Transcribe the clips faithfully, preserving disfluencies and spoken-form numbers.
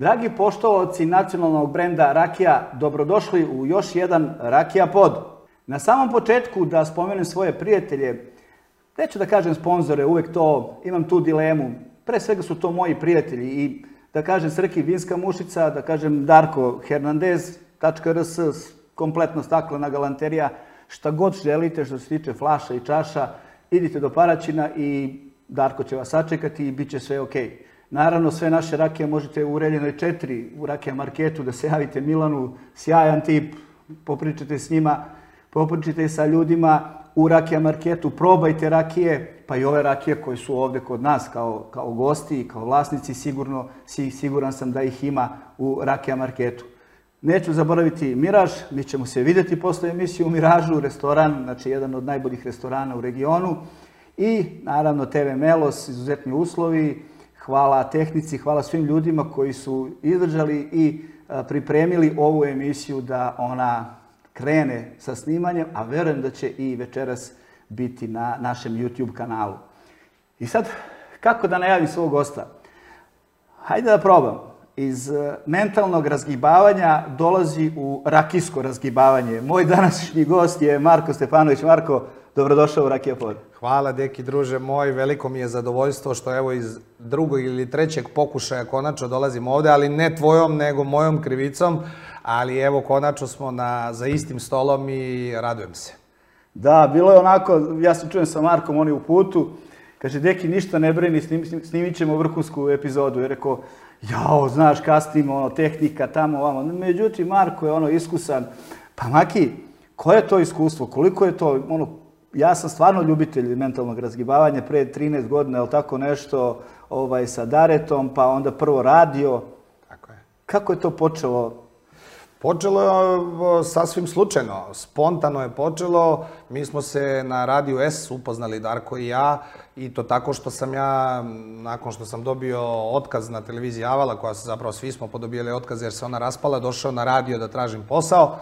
Dragi poštovaoci nacionalnog brenda Rakija, dobrodošli u još jedan Rakija pod. Na samom početku da spomenem svoje prijatelje, neću da kažem sponzore, uvek to, imam tu dilemu. Pre svega su to moji prijatelji i da kažem Srki Vinska mušica, da kažem Darko Hernandez tačka r s, kompletno staklena galanterija, šta god želite što se tiče flaša i čaša, idite do Paraćina i Darko će vas sačekati i bit će sve okej. Naravno, sve naše rakije možete u Reljenoj četiri, u Rakija marketu, da se javite Milanu, sjajan tip, popričate s njima, popričate sa ljudima u Rakija marketu, probajte rakije, pa i ove rakije koje su ovde kod nas kao, kao gosti i kao vlasnici, sigurno, siguran sam da ih ima u Rakija marketu. Neću zaboraviti Miraž, mi ćemo se vidjeti posle emisije u Miražu, restoran, znači jedan od najboljih restorana u regionu. I naravno te ve Melos, izuzetni uslovi, hvala tehnici, hvala svim ljudima koji su izdržali i pripremili ovu emisiju da ona krene sa snimanjem, a verujem da će i večeras biti na našem YouTube kanalu. I sad, kako da najavim svog gosta? Hajde da probam. Iz mentalnog razgibavanja dolazi u rakijsko razgibavanje. Moj današnji gost je Marko Stefanović. Marko, dobrodošao u Rakija pod. Hvala, deki druže moj, veliko mi je zadovoljstvo što evo iz drugog ili trećeg pokušaja konačno dolazim ovde, ali ne tvojom, nego mojom krivicom, ali evo konačno smo na, za istim stolom i radujem se. Da, bilo je onako, ja se čujem sa Markom, on je u putu, kaže, deki, ništa ne brini, snimit ćemo vrhunsku epizodu. Je rekao, jao, znaš, kasnimo, ono, tehnika, tamo, ovamo. Međutim, Marko je ono iskusan. Pa Maki, koje je to iskustvo? Koliko je to, ono, ja sam stvarno ljubitelj mentalnog razgibavanja, pre trinaest godina, je li tako nešto, ovaj, sa Daretom, pa onda prvo radio. Tako je. Kako je to počelo? Počelo je sasvim slučajno, spontano je počelo. Mi smo se na Radiju S upoznali, Darko i ja, i to tako što sam ja, nakon što sam dobio otkaz na televiziji Avala, koja se zapravo svi smo podobijeli otkaz jer se ona raspala, došao na radio da tražim posao.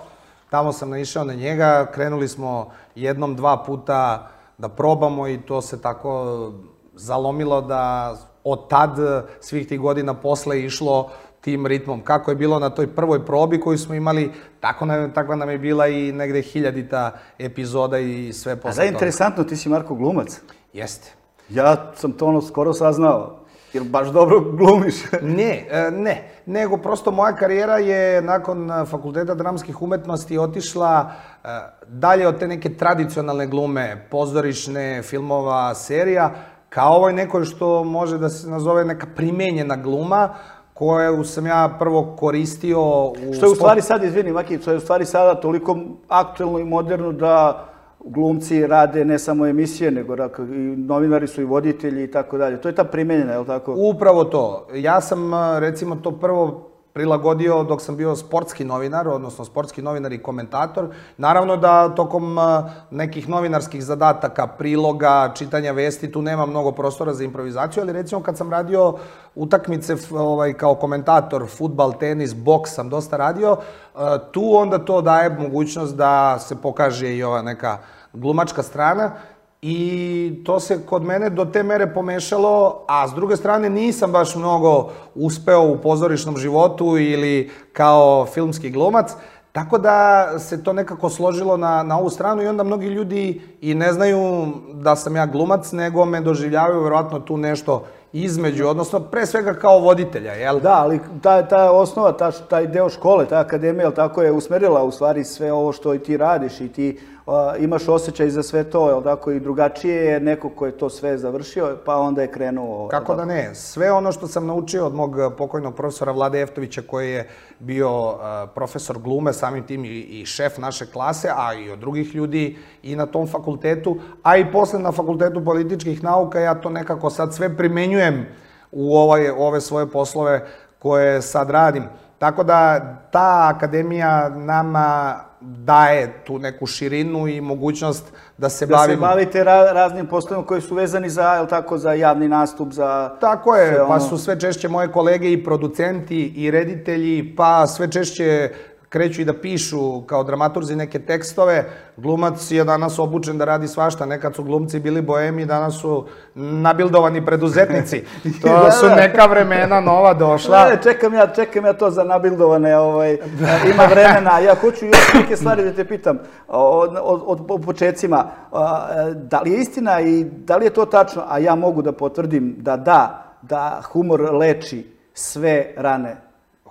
Tamo sam naišao na njega, krenuli smo jednom, dva puta da probamo i to se tako zalomilo da od tad svih tih godina posle išlo tim ritmom. Kako je bilo na toj prvoj probi koju smo imali, tako nam, takva nam je bila i negde hiljadita epizoda i sve posle toga. A da, interesantno, ti si Marko glumac. Jeste. Ja sam to ono skoro saznao. Jer baš dobro glumiš. Ne, ne. Nego prosto moja karijera je nakon Fakulteta dramskih umetnosti otišla dalje od te neke tradicionalne glume, pozorišne, filmova, serija, kao ovoj nekoj što može da se nazove neka primenjena gluma, koju sam ja prvo koristio u... Što je u stvari sad, izvini Maki, što je u stvari sada toliko aktuelno i moderno da glumci rade ne samo emisije, nego i novinari su i voditelji i tako dalje. To je ta primenjena, je li tako? Upravo to. Ja sam, recimo, to prvo prilagodio dok sam bio sportski novinar, odnosno sportski novinar i komentator. Naravno da tokom nekih novinarskih zadataka, priloga, čitanja vesti, tu nema mnogo prostora za improvizaciju, ali recimo kad sam radio utakmice kao komentator, fudbal, tenis, boks sam dosta radio, tu onda to daje mogućnost da se pokaže i ova neka glumačka strana. I to se kod mene do te mere pomešalo, a s druge strane nisam baš mnogo uspeo u pozorišnom životu ili kao filmski glumac, tako da se to nekako složilo na, na ovu stranu i onda mnogi ljudi i ne znaju da sam ja glumac, nego me doživljavaju verovatno tu nešto između, odnosno pre svega kao voditelja, jel? Da, ali ta, ta osnova, ta, taj deo škole, ta akademija, jel tako, je usmerila u stvari sve ovo što i ti radiš i ti uh, imaš osjećaj za sve to, jel tako, i drugačije je neko ko je to sve završio, pa onda je krenuo... Kako da ne, sve ono što sam naučio od mog pokojnog profesora Vlade Eftovića, koji je bio uh, profesor glume, samim tim i, i šef naše klase, a i od drugih ljudi i na tom fakultetu, a i posle na Fakultetu političkih nauka, ja to nekako sad sve primenjujem u ovaj, ove svoje poslove koje sad radim. Tako da ta akademija nama daje tu neku širinu i mogućnost da se bavimo... Da se bavite ra raznim poslovima koji su vezani za, jel tako, za javni nastup, za... Tako je, pa su sve češće moje kolege i producenti i reditelji, pa sve češće kreću i da pišu kao dramaturzi neke tekstove. Glumac je danas obučen da radi svašta. Nekad su glumci bili boemi, danas su nabildovani preduzetnici. To su neka vremena nova došla. Ne, čekam ja, čekam ja to za nabildovane, ovaj, ima vremena. Ja hoću još neke stvari da te pitam od, od, od, od početcima. Da li je istina i da li je to tačno, a ja mogu da potvrdim da da, da humor leči sve rane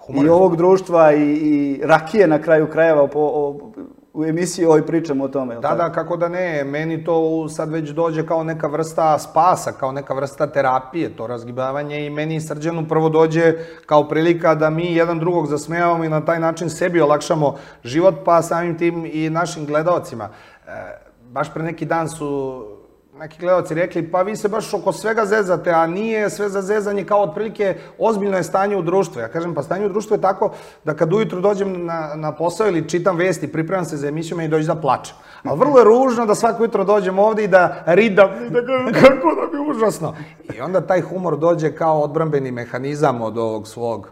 humor i ovog društva i, i rakije na kraju krajeva po, o, u emisiji ovoj pričamo o tome. Da, da, kako da ne. Meni to sad već dođe kao neka vrsta spasa, kao neka vrsta terapije, to razgibavanje i meni i Srđanu prvo dođe kao prilika da mi jedan drugog zasmejavamo i na taj način sebi olakšamo život, pa samim tim i našim gledaocima. E, baš pre neki dan su neki gledalci rekli, pa vi se baš oko svega zezate, a nije sve za zezanje kao otprilike ozbiljno je stanje u društvu. Ja kažem, pa stanje u društvu je tako da kad ujutru dođem na, na posao ili čitam vesti, pripremam se za emisiju, meni dođe da plačem. Ali vrlo je ružno da svako jutro dođem ovde i da ridam, i da kažem kako da bi užasno. I onda taj humor dođe kao odbrambeni mehanizam od ovog svog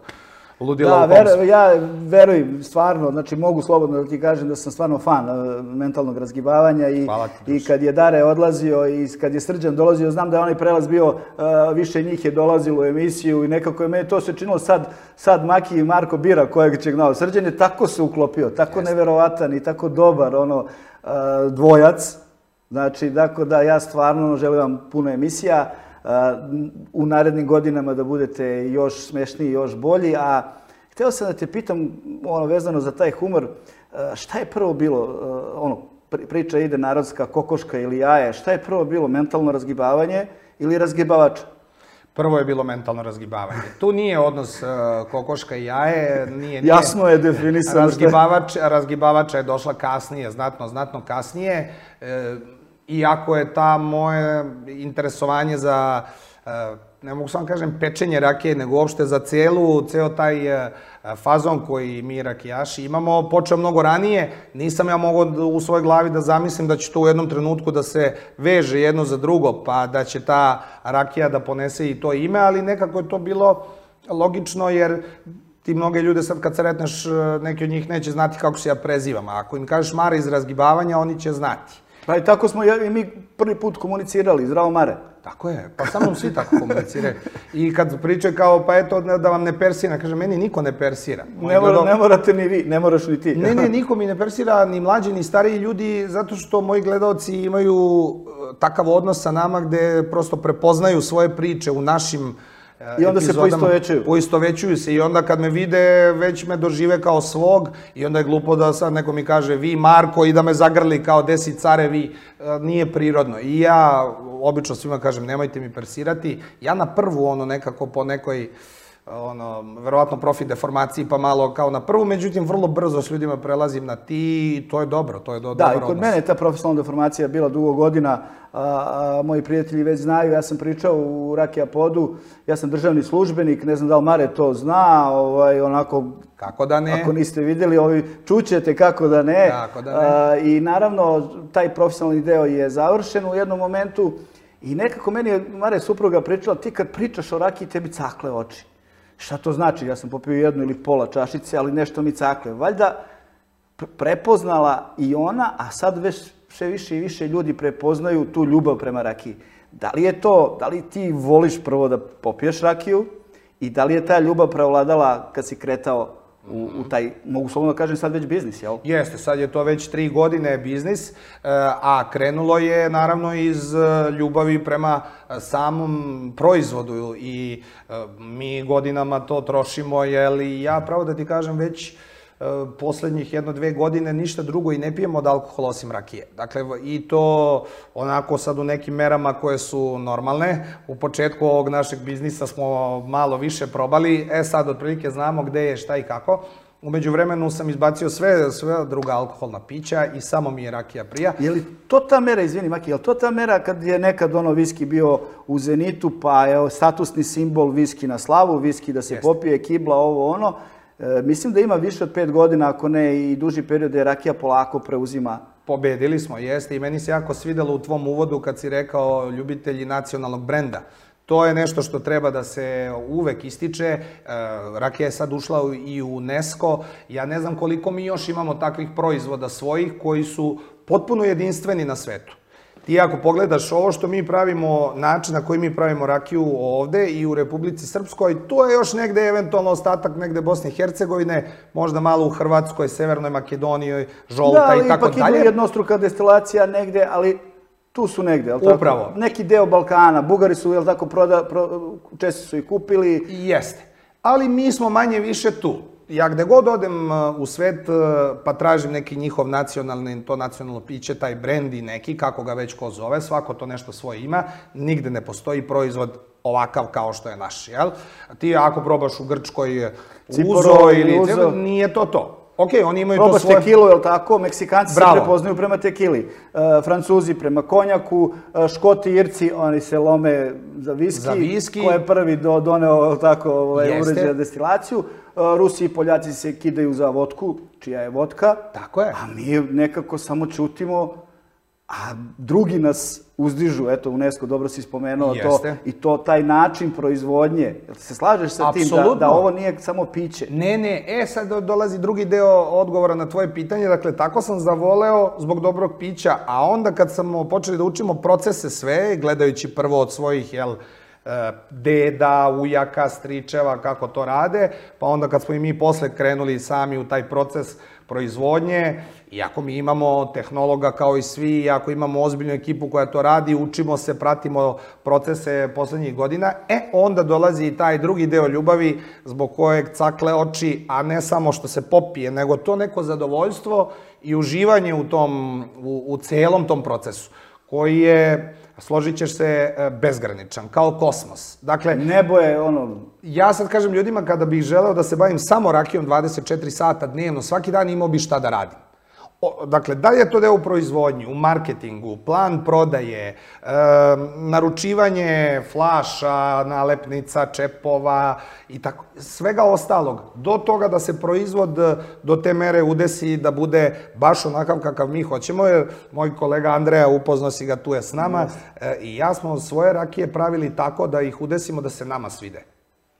ludila u komsu. Da, ja verujem, stvarno, znači mogu slobodno da ti kažem da sam stvarno fan mentalnog razgibavanja i, i kad je Dare odlazio i kad je Srđan dolazio, znam da je onaj prelaz bio, više njih je dolazilo u emisiju i nekako je meni to se činilo sad, sad Maki i Marko bira kojeg će gnao. Srđan je tako se uklopio, tako neverovatan i tako dobar ono dvojac, znači tako da ja stvarno želim vam puno emisija, u narednim godinama da budete još smešniji, još bolji, a hteo sam da te pitam, ono, vezano za taj humor, šta je prvo bilo, ono, priča ide narodska, kokoška ili jaje, šta je prvo bilo, mentalno razgibavanje ili razgibavač? Prvo je bilo mentalno razgibavanje. Tu nije odnos kokoška i jaje, nije... Jasno je definisano. Razgibavač, razgibavača je došla kasnije, znatno, znatno kasnije. Iako je ta moje interesovanje za, ne mogu samo kažem pečenje rakije, nego uopšte za celu, ceo taj fazon koji mi rakijaši imamo, počeo mnogo ranije. Nisam ja mogao u svojoj glavi da zamislim da će to u jednom trenutku da se veže jedno za drugo, pa da će ta rakija da ponese i to ime, ali nekako je to bilo logično jer ti mnoge ljude sad kad sretneš, neki od njih neće znati kako se ja prezivam, a ako im kažeš Mare iz razgibavanja, oni će znati. Pa i tako smo i mi prvi put komunicirali, zdravo Mare. Tako je, pa sa mnom svi tako komuniciraju. I kad pričaju kao, pa eto, da vam ne persira, kaže, meni niko ne persira. Ne morate ni vi, ne moraš ni ti. Ne, ne, niko mi ne persira, ni mlađi, ni stariji ljudi, zato što moji gledaoci imaju takav odnos sa nama gde prosto prepoznaju svoje priče u našim i onda se poistovećuju. Poistovećuju se i onda kad me vide, već me dožive kao svog i onda je glupo da sad neko mi kaže vi Marko i da me zagrli kao desi care vi, nije prirodno. I ja obično svima kažem nemojte mi persirati, ja na prvu ono nekako po nekoj ono, verovatno profit deformaciji pa malo kao na prvu, međutim vrlo brzo s ljudima prelazim na ti i to je dobro, to je dobar odnos. Da, i kod mene je ta profesionalna deformacija bila dugo godina, moji prijatelji već znaju, ja sam pričao u Rakija Podu, ja sam državni službenik, ne znam da li Mare to zna, onako, kako da ne? Ako niste vidjeli, ovi čućete kako da ne. Kako da ne? I naravno, taj profesionalni deo je završen u jednom momentu i nekako meni je Mare supruga pričala, ti kad pričaš o rakiji, tebi cakle oči. Šta to znači? Ja sam popio jednu ili pola čašice, ali nešto mi cakle. Valjda prepoznala i ona, a sad već sve više i više ljudi prepoznaju tu ljubav prema rakiji. Da li je to, da li ti voliš prvo da popiješ rakiju i da li je ta ljubav prevladala kad si kretao u taj, mogu slobodno da kažem, sad već biznis, jel? Jeste, sad je to već tri godine biznis, a krenulo je naravno iz ljubavi prema samom proizvodu i mi godinama to trošimo, jel i ja pravo da ti kažem već poslednjih jedno, dve godine ništa drugo i ne pijemo od alkohola osim rakije. Dakle, i to onako sad u nekim merama koje su normalne. U početku ovog našeg biznisa smo malo više probali, e sad otprilike znamo gde je, šta i kako. Umeđu vremenu sam izbacio sve, sve druga alkoholna pića i samo mi je rakija prija. Je li to ta mera, izvini Maki, je li to ta mera kad je nekad ono viski bio u Zenitu, pa je statusni simbol viski na slavu, viski da se popije, kibla, ovo ono. Mislim da ima više od pet godina, ako ne i duži period, da je rakija polako preuzima. Pobedili smo, jeste. I meni se jako svidelo u tvom uvodu kad si rekao ljubitelji nacionalnog brenda. To je nešto što treba da se uvek ističe. Rakija je sad ušla i u UNESCO. Ja ne znam koliko mi još imamo takvih proizvoda svojih koji su potpuno jedinstveni na svetu. Ti ako pogledaš ovo što mi pravimo, način na koji mi pravimo rakiju ovde i u Republici Srpskoj, to je još negde eventualno ostatak negde Bosne i Hercegovine, možda malo u Hrvatskoj, Severnoj Makedoniji, žolta i tako dalje. Da, ali ipak ima jednostruka destilacija negde, ali tu su negde, je li tako? Upravo. Neki deo Balkana, Bugari su, je li tako, Česi su i kupili. Jeste. Ali mi smo manje više tu. Ja gde god odem u svet pa tražim neki njihov nacionalni, to nacionalno piće, taj brendi neki, kako ga već ko zove, svako to nešto svoje ima, nigde ne postoji proizvod ovakav kao što je naš, jel? Ti ako probaš u Grčkoj uzo ili uzo, nije to to. Ok, oni imaju to svoje... Probaš tekilu, je li tako? Meksikanci se prepoznaju prema tekili. Francuzi prema konjaku, Škoti, Irci, oni se lome za viski. Za viski. Ko je prvi doneo, je li tako, uređenja destilaciju. Rusi i Poljaci se kidaju za vodku, čija je vodka. Tako je. A mi nekako samo ćutimo, a drugi nas uzdižu. Eto, UNESCO, dobro si spomenuo to. I to, taj način proizvodnje. Jel se slažeš sa tim da ovo nije samo piće? Ne, ne. E, sad dolazi drugi deo odgovora na tvoje pitanje. Dakle, tako sam zavoleo zbog dobrog pića, a onda kad smo počeli da učimo procese sve, gledajući prvo od svojih, jel, deda, ujaka, stričeva, kako to rade, pa onda kad smo i mi posle krenuli sami u taj proces proizvodnje, iako mi imamo tehnologa kao i svi, iako imamo ozbiljnu ekipu koja to radi, učimo se, pratimo procese poslednjih godina, e, onda dolazi i taj drugi deo ljubavi zbog kojeg cakle oči, a ne samo što se popije, nego to neko zadovoljstvo i uživanje u tom, u, u celom tom procesu, koji je, složit ćeš se, bezgraničan, kao kosmos. Dakle, nebo je ono... Ja sad kažem ljudima, kada bih želeo da se bavim samo rakijom dvadeset četiri sata dnevno, svaki dan imao bih šta da radim. Dakle, da li je to deo u proizvodnji, u marketingu, plan prodaje, naručivanje flaša, nalepnica, čepova i tako, svega ostalog, do toga da se proizvod do te mere udesi da bude baš onakav kakav mi hoćemo, jer moj kolega Andreja, upoznao si ga, tu je s nama, i ja smo svoje rakije pravili tako da ih udesimo da se nama svide.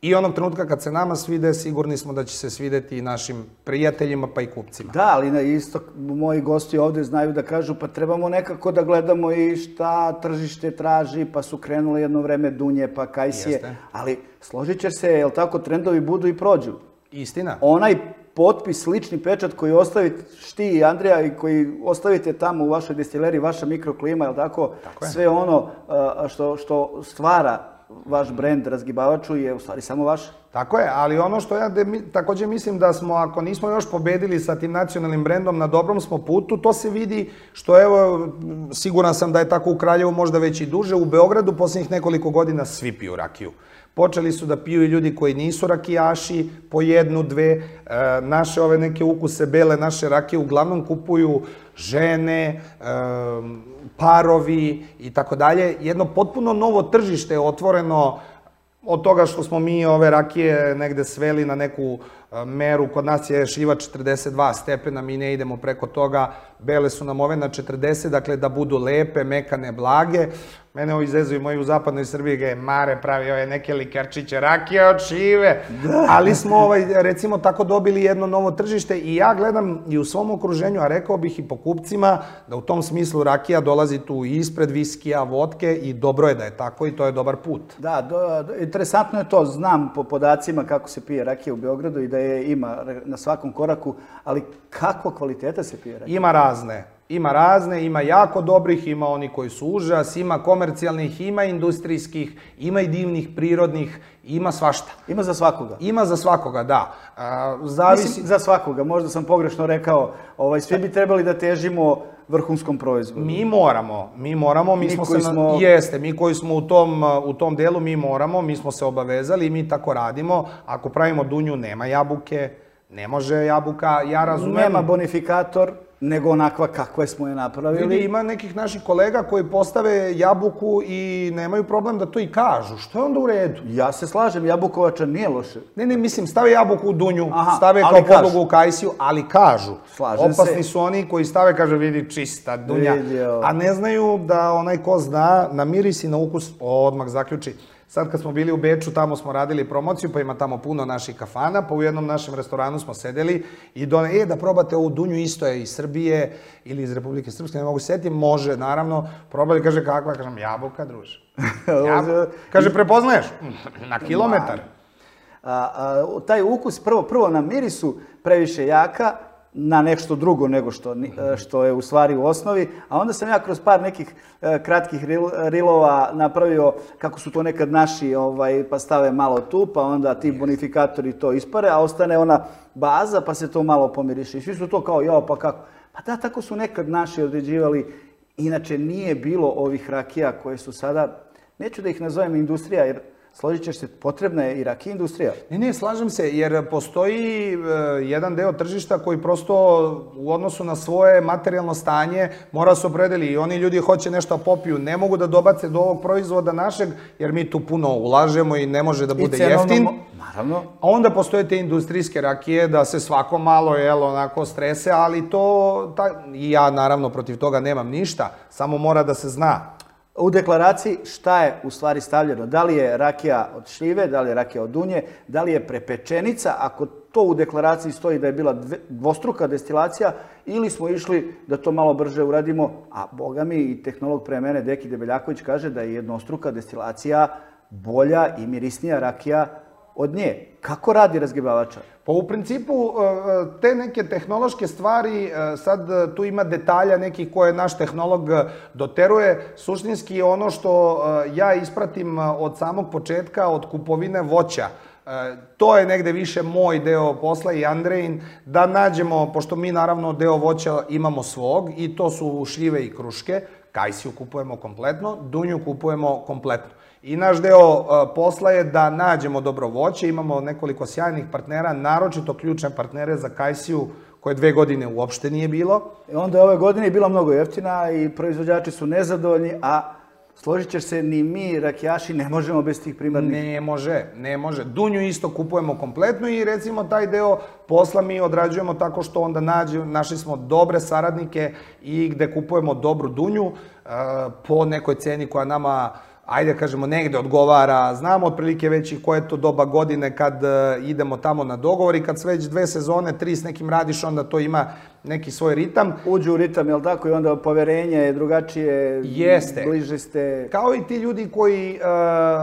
I onog trenutka kad se nama svide, sigurni smo da će se svideti i našim prijateljima pa i kupcima. Da, ali isto moji gosti ovde znaju da kažu pa trebamo nekako da gledamo i šta tržište traži, pa su krenule jedno vreme dunje, pa kajsije. Ali složit ćeš se, jel tako, trendovi budu i prođu. Istina. Onaj potpis, lični pečat koji ostavite ti i Andrija i koji ostavite tamo u vašoj destileriji, vaša mikroklima, jel tako, sve ono što stvara vaš brend razgibavaču je u stvari samo vaš. Tako je, ali ono što ja također mislim da smo, ako nismo još pobedili sa tim nacionalnim brendom, na dobrom smo putu, to se vidi što, evo, siguran sam da je tako u Kraljevu, možda već i duže, u Beogradu posljednjih nekoliko godina svi piju rakiju. Počeli su da piju i ljudi koji nisu rakijaši, po jednu, dve, naše ove neke ukuse bele, naše rakije uglavnom kupuju žene, parovi i tako dalje. Jedno potpuno novo tržište je otvoreno od toga što smo mi ove rakije negde sveli na neku meru. Kod nas je šiva četrdeset dva stepena, mi ne idemo preko toga. Bele su nam ove na četrdeset, dakle da budu lepe, mekane, blage. Mene ovo izezuju moji u zapadnoj Srbiji, ga je Mare pravi ove neke likarčiće, rakije od šive. Ali smo, recimo, tako dobili jedno novo tržište i ja gledam i u svom okruženju, a rekao bih i po kupcima, da u tom smislu rakija dolazi tu ispred viskija, vodke i dobro je da je tako i to je dobar put. Da, interesantno je to, znam po podacima kako se pije rakija u Beogradu i da je ima na svakom koraku, ali kako kvaliteta se pije rakija? Ima razne. Ima razne, ima jako dobrih, ima oni koji su užas, ima komercijalnih, ima industrijskih, ima i divnih, prirodnih, ima svašta. Ima za svakoga? Ima za svakoga, da. Mislim, za svakoga, možda sam pogrešno rekao, svi bi trebali da težimo vrhunskom proizvodu. Mi moramo, mi moramo, mi smo se, jeste, mi koji smo u tom delu, mi moramo, mi smo se obavezali i mi tako radimo. Ako pravimo dunju, nema jabuke, ne može jabuka, ja razumem. Nema bonifikator, nego onakva kakve smo je napravili. Vidi, ima nekih naših kolega koji postave jabuku i nemaju problem da to i kažu. Što je onda u redu? Ja se slažem, jabukovača nije loše. Ne, ne, mislim, stave jabuku u dunju, stave kao podlogu u kajsiju, ali kažu. Slažem se. Opasni su oni koji stave, kaže, vidi, čista dunja. A ne znaju da onaj ko zna, na miris i na ukus, odmah zaključi, Sad kad smo bili u Beču, tamo smo radili promociju, pa ima tamo puno naših kafana, pa u jednom našem restoranu smo sedeli i do, e, da probate ovu dunju, isto je iz Srbije ili iz Republike Srpske, ne mogu se setiti, može, naravno, probali, kaže, kakva, kažem, jabuka, druže. Jabuka. Kaže, prepoznaješ? Na kilometar. A, a, taj ukus, prvo, prvo na mirisu previše jaka, na nešto drugo nego što, što je u stvari u osnovi, a onda sam ja kroz par nekih e, kratkih ril, rilova napravio kako su to nekad naši, ovaj, pa stave malo tu, pa onda ti bonifikatori to ispare, a ostane ona baza, pa se to malo pomiriše. I svi su to kao, jao, pa kako? Pa da, tako su nekad naši određivali. Inače, nije bilo ovih rakija koje su sada, neću da ih nazovem industrija, jer složit ćeš se, potrebna je i rakija industrija. Ne, ne, slažem se, jer postoji e, jedan deo tržišta koji prosto u odnosu na svoje materijalno stanje mora se opredeli i oni ljudi hoće nešto popiju, ne mogu da dobace do ovog proizvoda našeg, jer mi tu puno ulažemo i ne može da bude jeftin. Naravno. A onda postoje te industrijske rakije da se svako malo, jel, onako strese, ali to, ta, i ja naravno protiv toga nemam ništa, samo mora da se zna. U deklaraciji šta je u stvari stavljeno? Da li je rakija od šljive, da li je rakija od dunje, da li je prepečenica, ako to u deklaraciji stoji da je bila dvostruka destilacija, ili smo išli da to malo brže uradimo, a boga mi i tehnolog pre mene, Deki Debeljaković, kaže da je jednostruka destilacija bolja i mirisnija rakija od nje. Kako radi razgibavača? Pa u principu te neke tehnološke stvari, sad tu ima detalja nekih koje naš tehnolog doteruje. Suštinski ono što ja ispratim od samog početka, od kupovine voća, to je negde više moj deo posla i Andrejin, da nađemo, pošto mi naravno deo voća imamo svog i to su šljive i kruške, kajsiju kupujemo kompletno, dunju kupujemo kompletno. I naš deo posla je da nađemo dobro voće, imamo nekoliko sjajnih partnera, naročito ključne partnere za kajsiju, koje dve godine uopšte nije bilo. I onda je ove godine bila mnogo jeftina i proizvođači su nezadovoljni, a složit ćeš se, ni mi, rakijaši, ne možemo bez tih primarnih. Ne može, ne može. Dunju isto kupujemo kompletno i recimo taj deo posla mi odrađujemo tako što onda nađe, našli smo dobre saradnike i gde kupujemo dobru dunju po nekoj ceni koja nama, ajde kažemo, negde odgovara. Znamo otprilike već i koje je to doba godine kad idemo tamo na dogovor i kad sve već dve sezone, tri s nekim radiš, onda to ima neki svoj ritam. Uđu u ritam, jel tako? I onda poverenje je drugačije, jeste. Bliže ste. Kao i ti ljudi koji uh,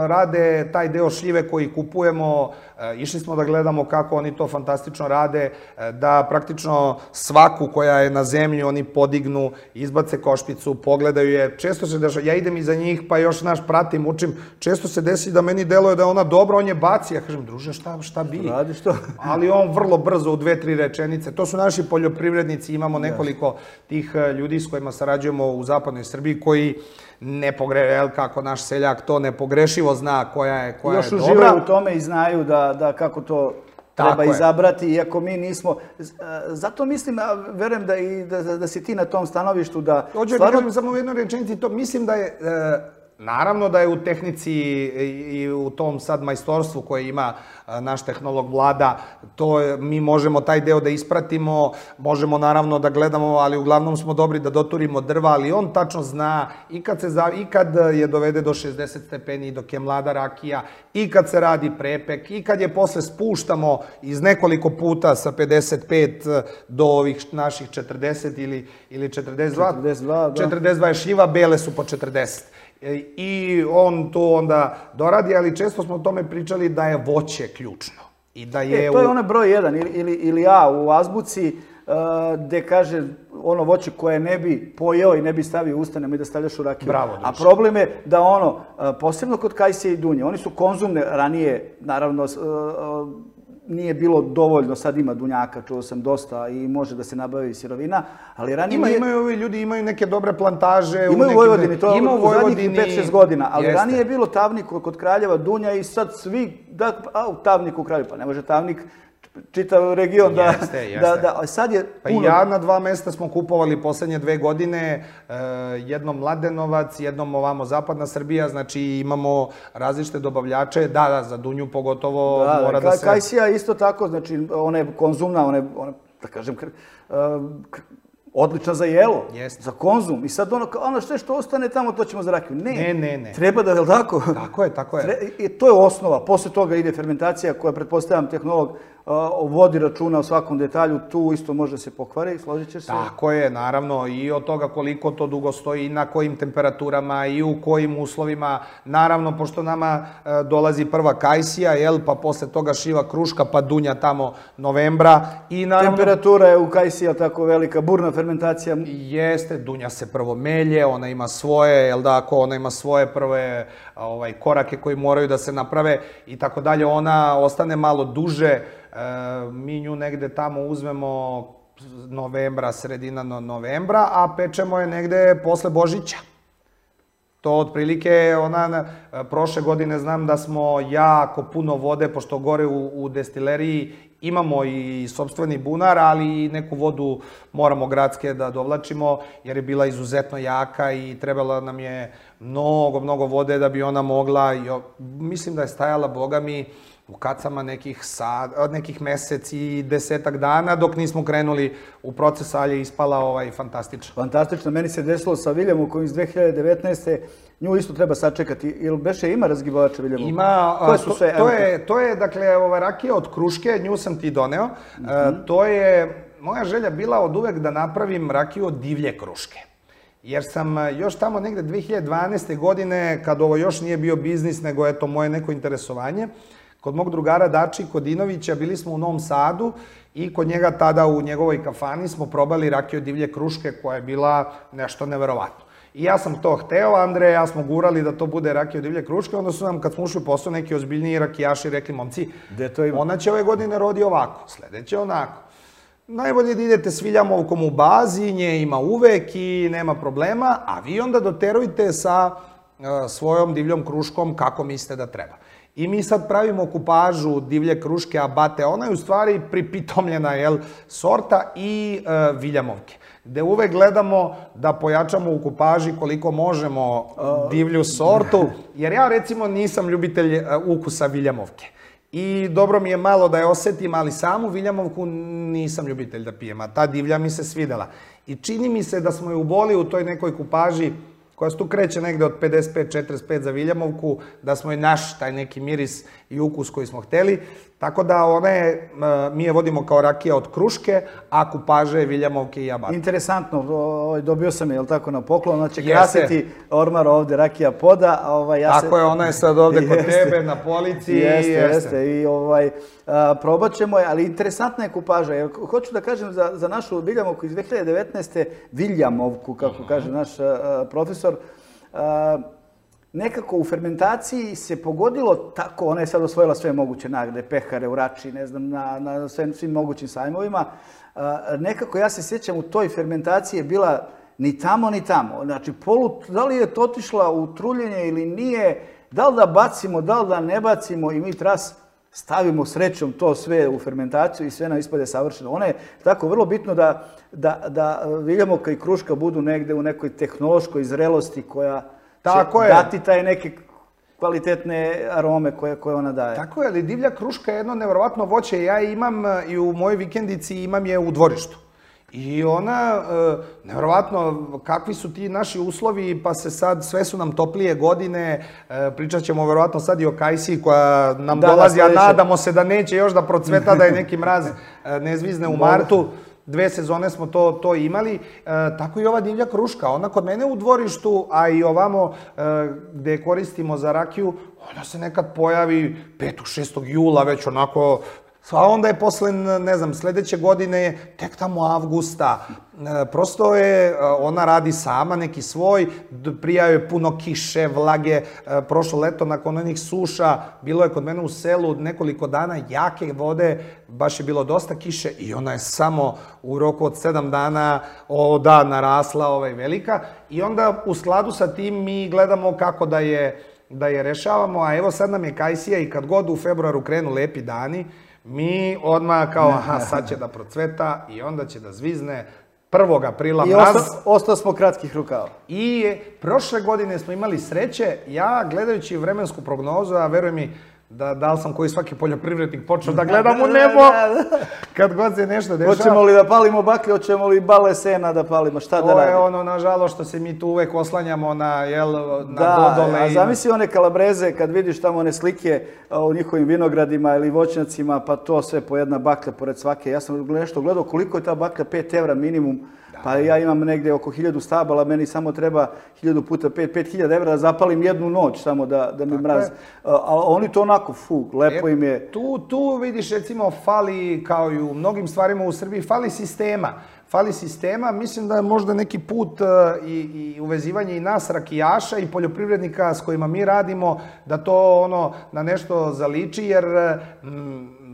rade taj deo šljive koji kupujemo, uh, išli smo da gledamo kako oni to fantastično rade, uh, da praktično svaku koja je na zemlji oni podignu, izbace košpicu, pogledaju je. Često se dešava, ja idem iza njih pa još naš pratim, učim, često se desi da meni deluje da je ona dobra, on je baci, ja kažem, druže, šta, šta bi? Radiš to? Ali on vrlo brzo u dve, tri rečenice. To su naši poljoprivredni. Imamo nekoliko tih ljudi s kojima sarađujemo u zapadnoj Srbiji koji ne pogre, kako naš seljak to nepogrešivo zna koja je, koja je dobra. Još uživaju u tome i znaju da, da kako to treba izabrati, iako mi nismo. Zato mislim, verujem da, i, da, da si ti na tom stanovištu da... Hoću stvarno... da kažem samo u jednoj rečenici, to mislim da je... Naravno da je u tehnici i u tom sad majstorstvu koje ima naš tehnolog Vlada, to mi možemo taj deo da ispratimo, možemo naravno da gledamo, ali uglavnom smo dobri da doturimo drva, ali on tačno zna i kad, se, i kad je dovede do šezdeset stepeni dok je mlada rakija, i kad se radi prepek, i kad je posle spuštamo iz nekoliko puta sa pedeset pet do ovih naših četrdeset ili, ili četrdeset dva. četrdeset dva, da. četrdeset dva je šljiva, bele su po četrdeset. I on to onda doradi, ali često smo o tome pričali da je voće ključno. I da je e, to je onaj broj jedan ili, ili, ili A u azbuci uh, gde kaže ono voće koje ne bi pojeo i ne bi stavio u usta, nemoj da stavljaš u rakiju. Bravo, a problem je da ono, uh, posebno kod kajsije i dunje, oni su konzumne ranije, naravno, uh, uh, nije bilo dovoljno, sad ima dunjaka, čuo sam dosta i može da se nabavi sirovina, ali ranije... Ima, imaju ovi ljudi, imaju neke dobre plantaže... Imaju u Vojvodini, to je ima u zadnjih pet šest godina, ali jeste. Ranije je bilo Tavnik kod Kraljeva, Dunja i sad svi, da, a u Tavniku u Kraljevu, pa ne može Tavnik, čitav region da... Jeste, jeste. Da, da, sad je puno... Pa ja na dva mesta smo kupovali poslednje dve godine, jednom Mladenovac, jednom ovamo Zapadna Srbija, znači imamo različite dobavljače, da, da, za Dunju pogotovo da, mora da, da se... Kajsija isto tako, znači ona je konzumna, ona je, ona, da kažem, odlična za jelo, Jeste. za konzum. I sad ono, ono sve što ostane tamo, to ćemo za rakiju. Ne, Ne, ne, ne. treba da, je li tako? Tako je, tako je. Tre- I to je osnova. Posle toga ide fermentacija koja, pretpostavljam, tehnolog uh, vodi računa o svakom detalju. Tu isto može se pokvari, složit ćeš se? Tako je, naravno, i od toga koliko to dugo stoji, i na kojim temperaturama, i u kojim uslovima. Naravno, pošto nama e, dolazi prva kajsija, jel, pa posle toga šiva kruška, pa dunja tamo novembra. I naravno, Temperatura je u kajsiji tako velika, burna fermentacija. jeste, dunja se prvo melje, ona ima svoje, jel da, ako ona ima svoje prve ovaj, korake koji moraju da se naprave i tako dalje, ona ostane malo duže, e, mi nju negde tamo uzmemo novembra, sredina no novembra, a pečemo je negde posle Božića. To otprilike, ona, prošle godine znam da smo jako puno vode, pošto gore u, u destileriji imamo i sopstveni bunar, ali i neku vodu moramo gradske da dovlačimo, jer je bila izuzetno jaka i trebalo nam je mnogo, mnogo vode da bi ona mogla, i, mislim da je stajala, boga mi, u kacama nekih, sad, nekih mesec i desetak dana, dok nismo krenuli u proces, ali je ispala ovaj, fantastično. Fantastično. Meni se desilo sa Viljamom koji iz dve hiljade devetnaeste. Nju isto treba sačekati. Ili beše ima razgibavača Viljamov? Ima, Koje to, su sve, to, je, to je, dakle, ova rakija od kruške, nju sam ti doneo. Mm -hmm. e, to je moja želja bila od uvek da napravim rakiju od divlje kruške. Jer sam još tamo negde dve hiljade dvanaeste. godine, kad ovo još nije bio biznis, nego eto moje neko interesovanje, kod mog drugara Dači Kodinovića, bili smo u Novom Sadu i kod njega tada u njegovoj kafani smo probali rakiju od divlje kruške koja je bila nešto neverovatno. I ja sam to hteo, Andrej, ja smo gurali da to bude rakija od divlje kruške, onda su nam, kad smo ušli u posao, neki ozbiljniji rakijaši rekli, momci, to ima? Ona će ove godine rodi ovako, sledeće onako. Najbolje da idete s Viljamovkom u bazi, nje ima uvek i nema problema, a vi onda doterujte sa uh, svojom divljom kruškom kako mislite da treba. I mi sad pravimo kupažu divlje kruške abate, ona je u stvari pripitomljena, jel, sorta i uh, Viljamovke, gde uvek gledamo da pojačamo u kupaži koliko možemo divlju sortu, jer ja recimo nisam ljubitelj uh, ukusa Viljamovke. I dobro mi je malo da je osetim, ali samu Viljamovku nisam ljubitelj da pijem, a ta divlja mi se svidela. I čini mi se da smo je uboli u toj nekoj kupaži koja se tu kreće negde od pedeset pet do četrdeset pet za Viljamovku, da smo je naš taj neki miris i ukus koji smo hteli. Tako da one, mi je vodimo kao rakija od kruške, a kupaže Viljamovke i abate. Interesantno, dobio sam je, jel tako, na poklon, ona će krasiti ormar ovde, rakija poda. Ovaj, ja tako se... je, ona je sad ovde kod tebe, na polici. Jeste, jeste. jeste. I ovaj, a, probat ćemo je, ali interesantna je kupaža. Jer, hoću da kažem za, za našu Viljamovku iz dve hiljade devetnaeste. Viljamovku, kako uh -huh. kaže naš a, profesor, a, nekako u fermentaciji se pogodilo tako, ona je sad osvojila sve moguće nagrade, pehare, u Rači, ne znam, na, na svim, svim mogućim sajmovima. A, nekako, ja se sjećam, u toj fermentaciji je bila ni tamo, ni tamo. Znači, polu, da li je to otišla u truljenje ili nije, da li da bacimo, da li da ne bacimo i mi tras stavimo srećom to sve u fermentaciju i sve nam ispade savršeno. Ono je tako vrlo bitno da, da, da Viljamovka i kruška budu negde u nekoj tehnološkoj zrelosti koja tako će je. dati taj neke kvalitetne arome koje, koje ona daje. Tako je, ali divlja kruška je jedno nevjerovatno voće. Ja imam i u mojoj vikendici, imam je u dvorištu. I ona, e, nevjerovatno, kakvi su ti naši uslovi, pa se sad, sve su nam toplije godine, e, pričat ćemo vjerovatno sad i o kajsiji koja nam da, dolazi, da, a nadamo se da neće još da procveta, da je neki mraz e, ne zvizne u martu. Dve sezone smo to, to imali, e, tako i ova divlja kruška. Ona kod mene u dvorištu, a i ovamo e, gde koristimo za rakiju, ona se nekad pojavi petog šestog jula, već onako, a onda je posle, ne znam, sledeće godine, tek tamo avgusta. E, prosto je, ona radi sama neki svoj, prija je puno kiše, vlage. E, prošlo leto, nakon onih suša, bilo je kod mene u selu nekoliko dana jake vode, baš je bilo dosta kiše i ona je samo u roku od sedam dana, o da, narasla ovaj, velika. I onda u skladu sa tim mi gledamo kako da je, da je rešavamo, a evo sad nam je kajsija i kad god u februaru krenu lepi dani, mi odmah kao, aha, sad će da procveta i onda će da zvizne prvog aprila mraz. I ostao smo kratkih rukava. I prošle godine smo imali sreće, ja gledajući vremensku prognozu, a veruj mi da, da li sam koji svaki poljoprivrednik počeo da gledam u nebo kad god se nešto dešava. Hoćemo li da palimo baklje, hoćemo li bale sena da palimo, šta da radimo? To je ono, nažalost, što se mi tu uvek oslanjamo na, jel, na da, dodole. Da, a zamisli one Kalabreze kad vidiš tamo one slike u njihovim vinogradima ili voćnjacima, pa to sve po jedna baklja pored svake. Ja sam nešto gledao koliko je ta baklja, pet evra minimum. Pa ja imam negde oko hiljadu stabala, meni samo treba hiljadu puta pet, pet hiljada evra da zapalim jednu noć samo da, da mi mraz. A oni to onako, fu, lepo im je. Tu, tu vidiš, recimo, fali, kao i u mnogim stvarima u Srbiji, fali sistema. Fali sistema, mislim da je možda neki put i, i uvezivanje i nas, rakijaša i poljoprivrednika s kojima mi radimo, da to ono na nešto zaliči, jer mm,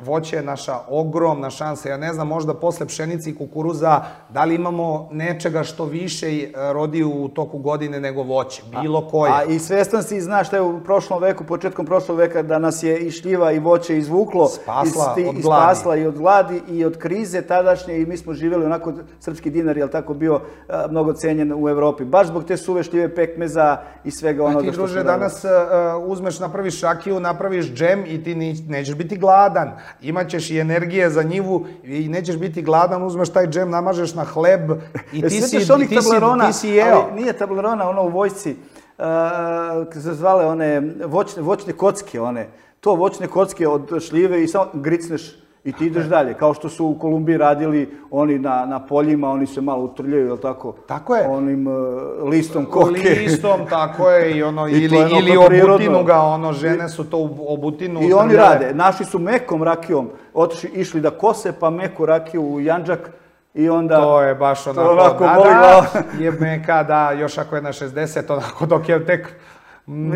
voće je naša ogromna šansa. Ja ne znam, možda posle pšenice i kukuruza, da li imamo nečega što više rodi u toku godine nego voće, bilo koje. A i svestan si, znaš šta je u prošlom veku, početkom prošlog veka, da nas je i šljiva i voće izvuklo. Spasla i, od gladi. Spasla i od gladi i od krize tadašnje i mi smo živjeli onako, srpski dinar je tako bio a, mnogo cenjen u Evropi. Baš zbog te suve šljive, pekmeza i svega onoga što... A ti, druže, danas a, uzmeš, napraviš rakiju, napraviš džem i ti nećeš biti gladan. Imaćeš i energije za njivu i nećeš biti gladan, uzmeš taj džem, namažeš na hleb i ti si, ti si, ti si jeo. Ali nije tablerona, ono u vojsci, uh, se zvale one voćne, voćne kocke, one. To voćne kocke od šljive i samo gricneš i ti ideš dalje. Kao što su u Kolumbiji radili oni na, na poljima, oni se malo utrljaju, je li tako? Tako je. Onim uh, listom koke. Listom, tako je. I ono, I ili, ono ili obutinu ga, ono, žene su to obutinu utrljale. I oni rade. Naši su mekom rakijom otišli, išli da kose, pa meku rakiju u Janđak. I onda... To je baš onako, onako da, boli glava. Je meka, da, još ako je na šezdeset, onako dok je tek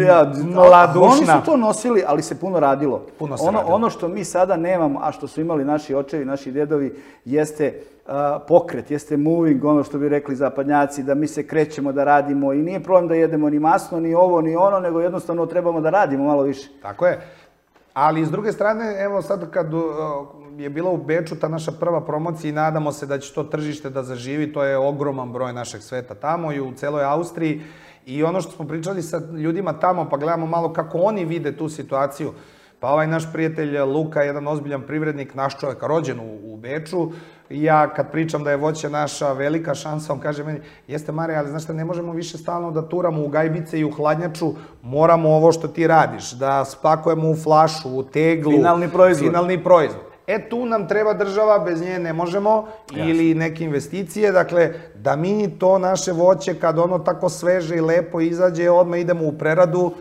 ja, mladušna. Oni su to nosili, ali se puno radilo. Puno se ono, radilo. Ono što mi sada nemamo, a što su imali naši očevi, naši dedovi, jeste uh, pokret, jeste moving, ono što bi rekli zapadnjaci, da mi se krećemo, da radimo i nije problem da jedemo ni masno, ni ovo, ni ono, nego jednostavno trebamo da radimo malo više. Tako je. Ali s druge strane, evo sad kad uh, je bila u Beču ta naša prva promocija i nadamo se da će to tržište da zaživi, to je ogroman broj našeg sveta tamo i u celoj Austriji. I ono što smo pričali sa ljudima tamo, pa gledamo malo kako oni vide tu situaciju. Pa ovaj naš prijatelj Luka, jedan ozbiljan privrednik, naš čovjek, rođen u, u Beču, i ja kad pričam da je voće naša velika šansa, on kaže meni, jeste Mare, ali znaš šta, ne možemo više stalno da turamo u gajbice i u hladnjaču, moramo ovo što ti radiš, da spakujemo u flašu, u teglu. Finalni proizvod. Finalni proizvod. E, tu nam treba država, bez nje ne možemo, ili neke investicije, dakle, da mi to naše voće, kad ono tako sveže i lepo izađe, odmah idemo u preradu,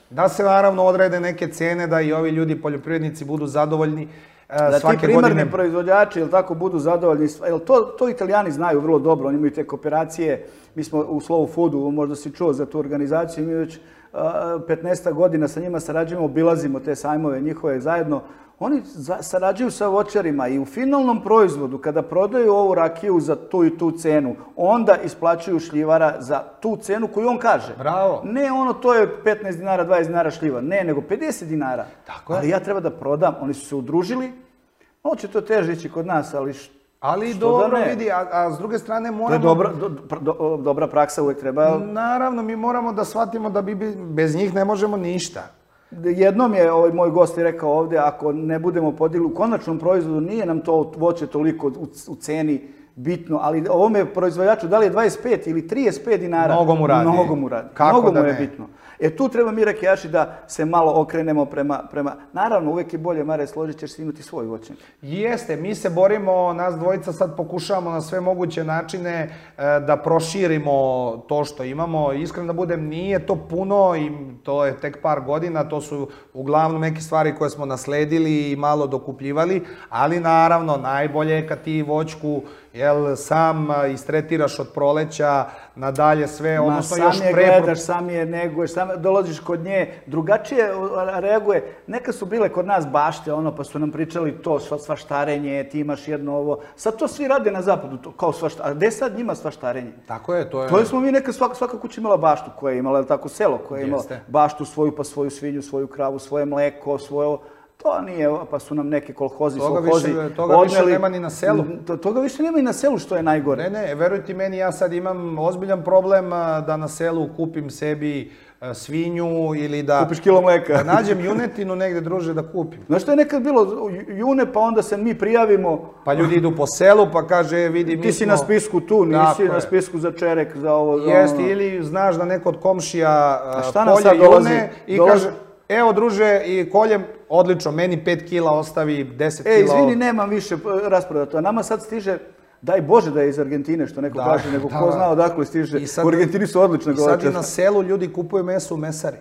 da se naravno odrede neke cene, da i ovi ljudi, poljoprivrednici, budu zadovoljni svake godine. Da ti primarni proizvođači, ili tako, budu zadovoljni, jer to, to Italijani znaju vrlo dobro, oni imaju te kooperacije, mi smo u Slow Foodu, možda si čuo za tu organizaciju, mi već petnaest godina sa njima sarađujemo, obilazimo te sajmove njihove zajedno. Oni sarađuju sa voćarima i u finalnom proizvodu, kada prodaju ovu rakiju za tu i tu cenu, onda isplaćuju šljivara za tu cenu koju on kaže. Bravo. Ne ono, to je petnaest dinara, dvadeset dinara šljiva. Ne, nego pedeset dinara. Tako je. Ali ja treba da prodam. Oni su se udružili. Ovo će to teže ići kod nas, ali što Ali dobro, vidi, a, a s druge strane moramo... To je dobra, do, do, dobra praksa, uvek treba... Naravno, mi moramo da shvatimo da bi bez njih ne možemo ništa. Jednom je ovaj moj gost rekao ovde, ako ne budemo podigli u konačnom proizvodu, nije nam to voće toliko u, u ceni bitno, ali ovome proizvođaču, da li je dvadeset pet ili trideset pet dinara, mnogo mu radi. Mnogo mu radi. Kako mnogo da mu je ne? bitno. E tu treba mi rakijaši da se malo okrenemo prema, prema... Naravno, uvek je bolje, Mare, složit ćeš se imati svoj voćnjak. Jeste, mi se borimo, nas dvojica sad pokušavamo na sve moguće načine e, da proširimo to što imamo. Iskreno da budem, nije to puno i to je tek par godina, to su uglavnom neke stvari koje smo nasledili i malo dokupljivali, ali naravno, najbolje je kad ti voćku jel, sam istretiraš od proleća nadalje sve, odnosno Ma, još sam je pre... gledaš, sam je neguješ, sam dolaziš kod nje, drugačije reaguje. Neka su bile kod nas bašte, ono, pa su nam pričali to, svaštarenje, ti imaš jedno ovo. Sad to svi rade na zapadu, to, kao svaštarenje. A gde sad njima svaštarenje? Tako je, to je... To je smo mi neka, svaka, svaka kuća imala baštu koja je imala, tako, selo koje je imalo baštu svoju, pa svoju svinju, svoju kravu, svoje mleko, svoje... to nije, pa su nam neke kolhozi, Toga solhozi više, toga više nema ni na selu. To, toga više nema i na selu, što je najgore. Ne, ne, verujte meni, ja sad imam ozbiljan problem a, da na selu kupim sebi a, svinju ili da... Kupiš kilo mleka. Da nađem junetinu negde, druže, da kupim. Znaš što je nekad bilo, june, pa onda se mi prijavimo. Pa ljudi idu po selu, pa kaže, vidi, mi Ti si smo... na spisku tu, nisi Tako na je. spisku za čerek, za ovo... za Jeste, ono. ili znaš da neko od komšija A a, šta nam kolje sad dolazi? june i Dolazi- kaže, evo druže, i koljem, odlično, meni pet kila ostavi, deset kila... E, izvini, nemam više rasprodato. A nama sad stiže, daj Bože da je iz Argentine, što neko Da, kaže, nego da, ko da. zna odakle stiže. I sad- U Argentini su odlične I sad i goveče. na selu ljudi kupuju meso u mesari.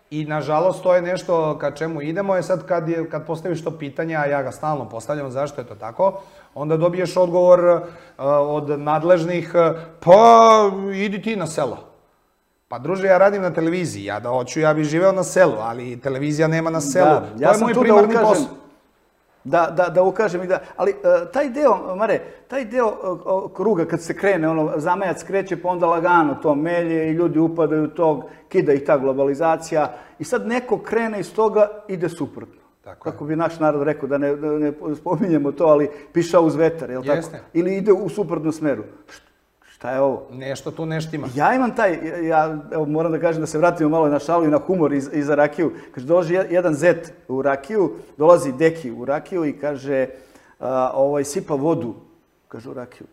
I nažalost to je nešto ka čemu idemo, je sad kad, je, kad postaviš to pitanje, a ja ga stalno postavljam zašto je to tako, onda dobiješ odgovor uh, od nadležnih, uh, pa idi ti na selo. Pa druže, ja radim na televiziji, ja da hoću, ja bih živeo na selu, ali televizija nema na selu. Da, ja to je sam moj tu da primarni ukažem, posao. Da, da, da ukažem i da, ali uh, taj deo, Mare, taj deo uh, kruga kad se krene, ono, zamajac kreće pa onda lagano to melje i ljudi upadaju u tog, kida ih ta globalizacija i sad neko krene iz toga, ide suprotno. Tako je. Kako bi naš narod rekao, da ne, da ne spominjemo to, ali piša uz vetar, jel tako? Jeste. Ili ide u suprotnom smeru. Šta je ovo? Nešto tu neštima. Ja imam taj, ja evo, moram da kažem da se vratimo malo na šalu i na humor iz, iza rakiju. Kaže, dolazi jedan zet u rakiju, dolazi deki u rakiju i kaže, a, ovaj, sipa vodu, kaže u rakiju.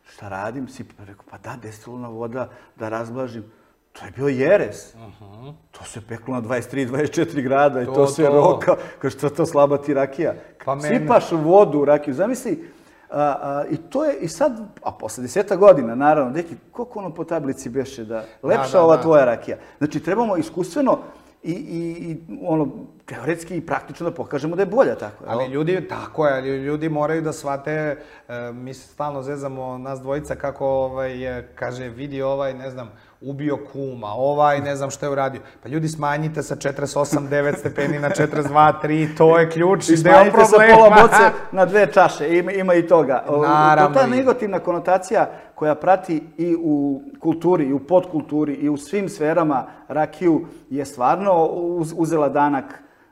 Šta radim? Sipa, rekao, pa da, destilna voda, da razblažim. To je bio jeres. Uh-huh. To se peklo na dvadeset tri dvadeset četiri grada i to, To, se to. roka. Kaže, što to slaba ti rakija? Pa mene- Sipaš vodu u rakiju. Zamisli, a, a, i to je, i sad, a posle deseta godina, naravno, deki, koliko ono po tablici beše da, lepša da, ova da. tvoja rakija. Znači, trebamo iskustveno i, i, i ono, teoretski i praktično da pokažemo da je bolja tako. jel? Ali ljudi, tako je, ali ljudi moraju da shvate, e, mi se stalno zezamo nas dvojica kako, ovaj, e, kaže, vidi ovaj, ne znam, ubio kuma, ovaj, ne znam što je uradio. Pa ljudi, smanjite sa četrdeset osam devet stepeni na četrdeset dva tri, to je ključ I i deo smanjite sa problema. pola boce na dve čaše, ima, ima i toga. O, Naravno To ta ima. negativna konotacija koja prati i u kulturi, i u podkulturi, i u svim sferama rakiju je stvarno uz, uzela danak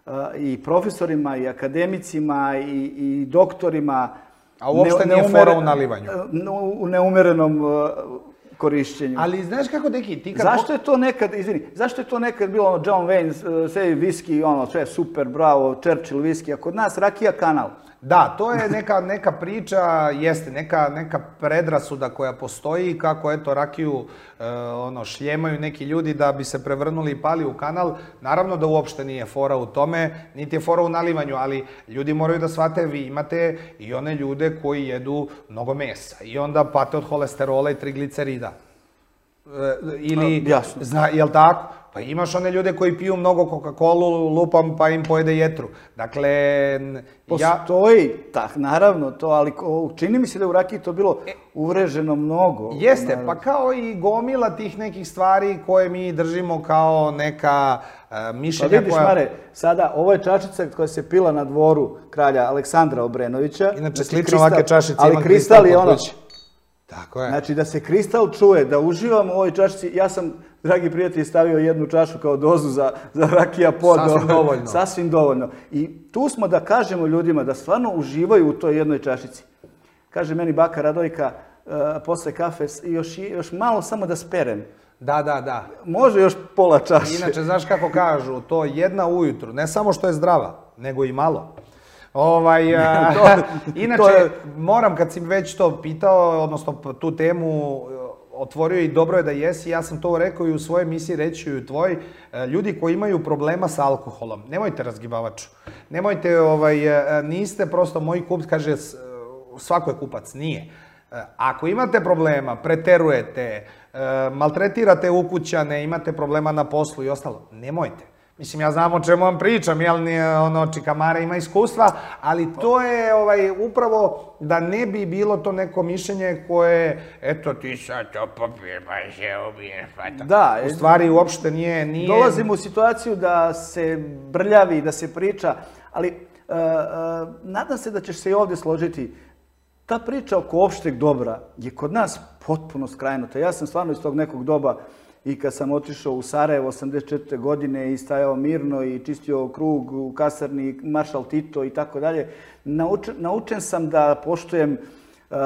uh, i profesorima, i akademicima, i, i doktorima. A uopšte nije fora u nalivanju. U, u neumerenom uh, korišćenju. Ali znaš kako, deki, ti kad... Zašto je to nekad, izvini, zašto je to nekad bilo ono John Wayne, uh, sve viski, ono, sve super, bravo, Churchill viski, a kod nas rakija kanal. Da, to je neka, neka priča, jeste, neka, neka predrasuda koja postoji, kako eto rakiju e, ono, šljemaju neki ljudi da bi se prevrnuli i pali u kanal. Naravno da uopšte nije fora u tome, niti je fora u nalivanju, ali ljudi moraju da shvate, vi imate i one ljude koji jedu mnogo mesa i onda pate od holesterola i triglicerida. E, ili, Jasno. Zna, jel tako? Pa imaš one ljude koji piju mnogo Coca-Colu, lupam, pa im pojede jetru. Dakle, ja... Postoji, tak, naravno to, ali ko- čini mi se da je u rakiji to bilo uvreženo mnogo. Jeste, Naravno. pa kao i gomila tih nekih stvari koje mi držimo kao neka e, Pa mišljenja vidiš, koja... Mare, sada, ovo je čašica koja se pila na dvoru kralja Aleksandra Obrenovića. Inače, Znači, slično kristal- ovake čašice ali imam kristal kristal je kod ono, kuće. Tako je. znači da se kristal čuje, da uživam u ovoj čašici. Ja sam, dragi prijatelji, stavio jednu čašu kao dozu za, za rakija pod. Sasvim dovoljno. Sasvim dovoljno. I tu smo da kažemo ljudima da stvarno uživaju u toj jednoj čašici. Kaže meni baka Radojka, uh, posle kafe, s- još, još malo samo da sperem. Da, da, da. Može još pola čaše. Inače, znaš kako kažu, to jedna ujutru, ne samo što je zdrava, nego i malo. Ovaj, a, To- inače, to je- moram kad si već to pitao, odnosno tu temu e, otvorio i dobro je da jesi, ja sam to rekao i u svojoj emisiji, reći i u tvoj, e, ljudi koji imaju problema sa alkoholom, nemojte razgibavaču, nemojte, ovaj, e, niste prosto moji kupac, kaže, s- svako je kupac, nije. E, Ako imate problema, preterujete, e, maltretirate ukućane, imate problema na poslu i ostalo, nemojte. Mislim, ja znam o čemu vam pričam, jel, nije, ono, Čikamara ima iskustva, ali to je ovaj, upravo da ne bi bilo to neko mišljenje koje, eto, ti sad to popiješ, pa se ubiješ, pa to. Da, U stvari, uopšte nije... nije... Dolazimo u situaciju da se brljavi, da se priča, ali uh, uh, nadam se da ćeš se i ovdje složiti. Ta priča oko opšteg dobra je kod nas potpuno skrajnuta. Ja sam stvarno iz tog nekog doba i kad sam otišao u Sarajevo osamdeset četvrte godine i stajao mirno i čistio krug u kasarni Maršal Tito i tako dalje, naučen sam da poštujem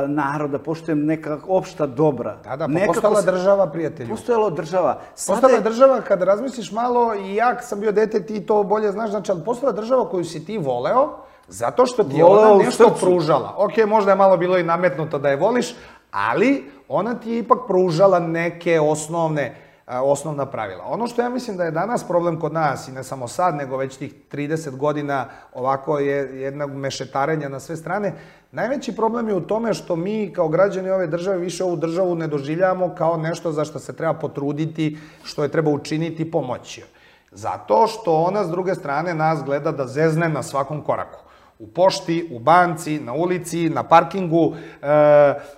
narod, da poštujem neka opšta dobra. Da, da, pa postala država, prijatelju. Postojala država. Postala država, kada razmisliš malo, i ja sam bio dete, ti to bolje znaš, znači, ali postala država koju si ti voleo, zato što ti je ona nešto pružala. Ok, možda je malo bilo i nametnuto da je voliš, ali ona ti je ipak pružala neke osnovne osnovna pravila. Ono što ja mislim da je danas problem kod nas, i ne samo sad, nego već tih trideset godina ovako je jednog mešetarenja na sve strane, najveći problem je u tome što mi kao građani ove države više ovu državu ne doživljavamo kao nešto za što se treba potruditi, što je treba učiniti, pomoći. Zato što ona s druge strane nas gleda da zezne na svakom koraku. U pošti, u banci, na ulici, na parkingu,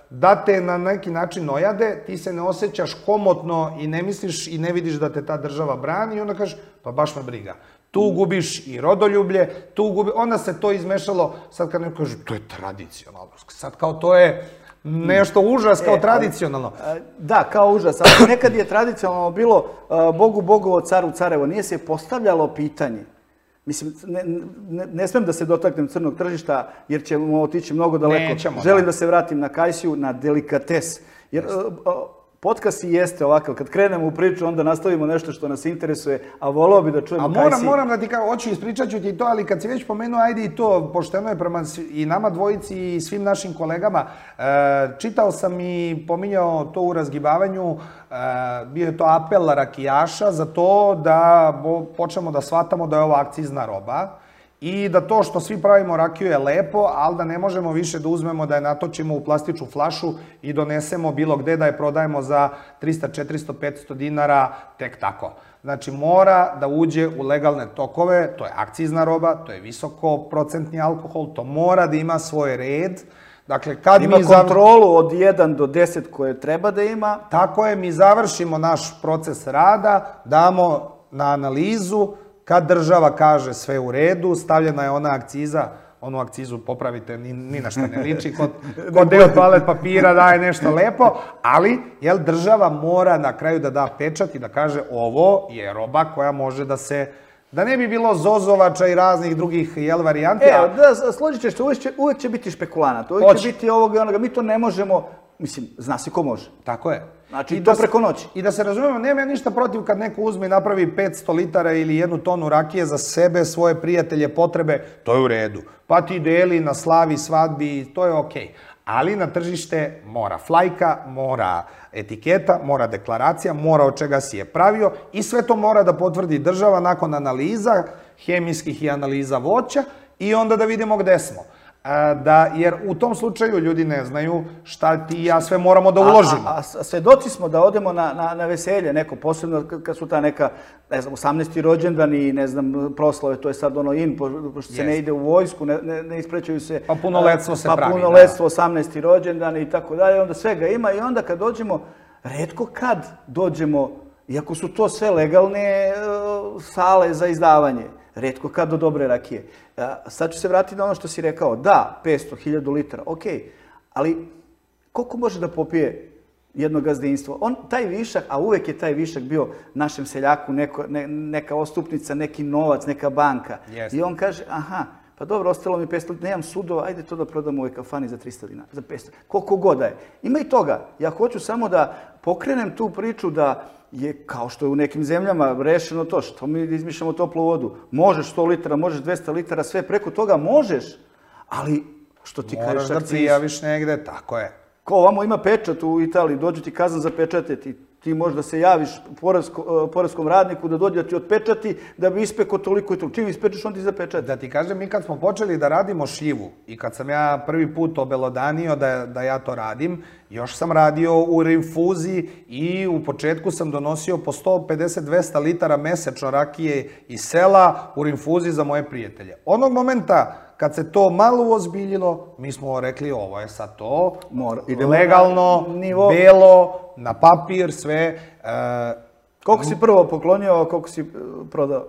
da te na neki način ojade, ti se ne osjećaš komotno i ne misliš i ne vidiš da te ta država brani i onda kažeš, pa baš me briga. Tu gubiš i rodoljublje, tu gubiš, onda se to izmešalo, sad kad neko kaže, to je tradicionalno, sad kao to je nešto užas kao tradicionalno. Da, kao užas, ali nekad je tradicionalno bilo Bogu Bogovo, caru carevo, nije se postavljalo pitanje. Mislim, ne smijem da se dotaknem crnog tržišta, jer ćemo otići mnogo daleko. Želim da se vratim na kajsiju, na delikates. Jer podcast i jeste ovakav, kad krenemo u priču, onda nastavimo nešto što nas interesuje, a voleo bi da čujemo kajsiji. A moram da ti kao, hoću ispričat ću ti to, ali kad si već pomenuo, ajde i to, pošteno je prema i nama dvojici i svim našim kolegama, čitao sam i pominjao to u razgibavanju, bio je to apel rakijaša za to da počnemo da shvatamo da je ovo akcizna roba i da to što svi pravimo rakiju je lepo, ali da ne možemo više da uzmemo, da je natočimo u plastičnu flašu i donesemo bilo gde da je prodajemo za trista, četiristo, petsto dinara tek tako. Znači, mora da uđe u legalne tokove, to je akcizna roba, to je visokoprocentni alkohol, to mora da ima svoj red. Ima kontrolu od jedan do deset koje treba da ima. Tako je, mi završimo naš proces rada, damo na analizu, kad država kaže sve u redu, stavljena je ona akciza, onu akcizu popravite, ni na šta ne liči, kod deo toalet papira daje nešto lepo, ali država mora na kraju da da pečat i da kaže ovo je roba koja može da se, da ne bi bilo zozovača i raznih drugih varijanti. Evo, da, složit ćeš se, uvijek će biti špekulanat, uvijek će biti ovoga i onoga, mi to ne možemo, mislim, zna se ko može. Tako je. Znači, i to preko noći. I da se razumemo, nema ja ništa protiv kad neko uzme i napravi petsto litara ili jednu tonu rakije za sebe, svoje prijatelje, potrebe, to je u redu. Pa ti deli na slavi, svadbi, to je okej. Ali na tržište mora flajka, mora etiketa, mora deklaracija, mora od čega si je pravio i sve to mora da potvrdi država nakon analiza, hemijskih i analiza voća i onda da vidimo gde smo. Jer u tom slučaju ljudi ne znaju šta ti i ja sve moramo da uložimo. A svedoci smo da odemo na veselje, neko posebno kad su ta neka, ne znam, osamnaesti rođendan i ne znam, proslave, to je sad ono in, pošto se ne ide u vojsku, ne isprećaju se... Pa punoletstvo se pravi. Pa punoletstvo, osamnaesti rođendan i tako dalje, onda svega ima i onda kad dođemo, retko kad dođemo, iako su to sve legalne sale za izdavanje, retko kad do dobre rakije. Sad ću se vratiti na ono što si rekao. Da, petsto, hiljadu litara, okej. Ali koliko može da popije jedno gazdinstvo? On, taj višak, a uvek je taj višak bio našem seljaku neka ostupnica, neki novac, neka banka. I on kaže, aha, pa dobro, ostalo mi petsto litara, nemam sudova, ajde to da prodam u ovoj kafani za trista dinara, za petsto. Koliko god da je. Ima i toga. Ja hoću samo da pokrenem tu priču da je, kao što je u nekim zemljama, rešeno to, što mi izmišljamo toplu vodu. Možeš sto litara, možeš dvesta litara, sve preko toga možeš, ali što ti kažeš... Moraš da prijaviš negde, tako je. Ko ovamo ima pečat u Italiji, dođe ti kazan za pečatiti, ti možeš da se javiš poreskom radniku da dođe da ti otpečati, da bi ispekao toliko i toliko. Čim ispečeš, on ti zapečati. Da ti kažem, mi kad smo počeli da radimo šljivu i kad sam ja prvi put obelodanio da ja to radim, još sam radio u rinfuzi i u početku sam donosio po sto pedeset do dvesta litara mesečno rakije iz sela u rinfuzi za moje prijatelje. Onog momenta kad se to malo uozbiljilo, mi smo rekli ovo je sad to, legalno, belo, na papir, sve. Koliko si prvo poklonio, a koliko si prodao?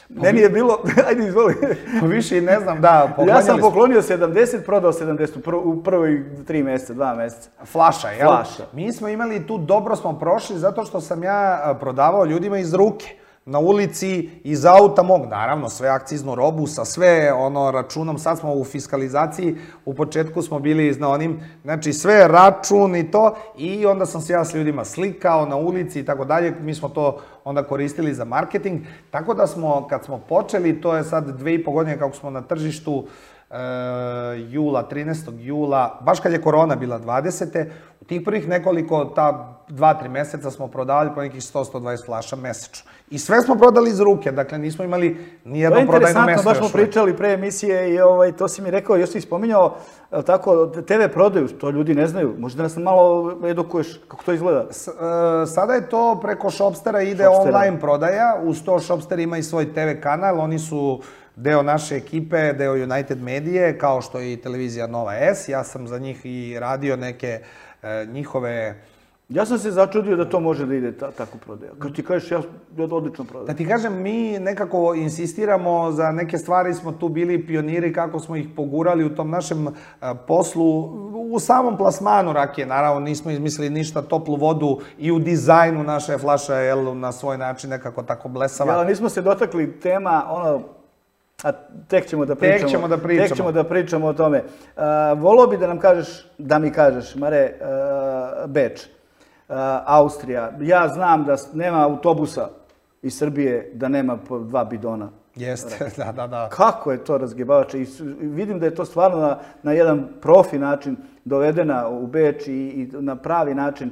Meni je bilo, ajde izvoli. Više ne znam, da, Ja sam poklonio sedamdeset, prodao sedamdeset u prvoj tri mjeseca, dva mjeseca. Flaša, jel? Flaša. Mi smo imali tu, dobro smo prošli, zato što sam ja prodavao ljudima iz ruke. Na ulici, iz auta mog, naravno, sve akciznu robu, sa sve ono računom, sad smo u fiskalizaciji, u početku smo bili na onim, znači sve račun i to, i onda sam se ja s ljudima slikao na ulici i tako dalje, mi smo to onda koristili za marketing, tako da smo, kad smo počeli, to je sad dve i po godine kako smo na tržištu, jula, trinaestog jula, baš kad je korona bila dvadesete, u tih prvih nekoliko, ta dva, tri meseca smo prodavali po nekih sto do sto dvadeset flaša mesečno. I sve smo prodali iz ruke, dakle nismo imali nijedno prodajno mesto još. To je interesantno, baš smo pričali pre emisije i to si mi rekao, još si spominjao, tako, te ve prodaju, to ljudi ne znaju, možda nas malo edukuješ kako to izgleda? Sada je to preko Shopstera ide online prodaja, uz to Shopster ima i svoj te ve kanal, oni su deo naše ekipe, deo United Medije, kao što je i televizija Nova S. Ja sam za njih i radio neke njihove... Ja sam se začudio da to može da ide tako prodaja. Kad ti kažeš, ja odlično prodajem. Da ti kažem, mi nekako insistiramo za neke stvari, smo tu bili pioniri kako smo ih pogurali u tom našem poslu, u samom plasmanu rakije. Naravno, nismo izmislili ništa, toplu vodu i u dizajnu naše flaša je na svoj način nekako tako blesava. Ja, nismo se dotakli tema, ono, a tek ćemo da pričamo. Tek ćemo da pričamo. Tek ćemo da pričamo o tome. Volao bi da nam kažeš, da mi kažeš, Mare, Beč, Austrija. Ja znam da nema autobusa iz Srbije da nema po dva bidona. Jeste, da, da, da. Kako je to razgibavače? I vidim da je to stvarno na jedan profi način dovedena u Beč i na pravi način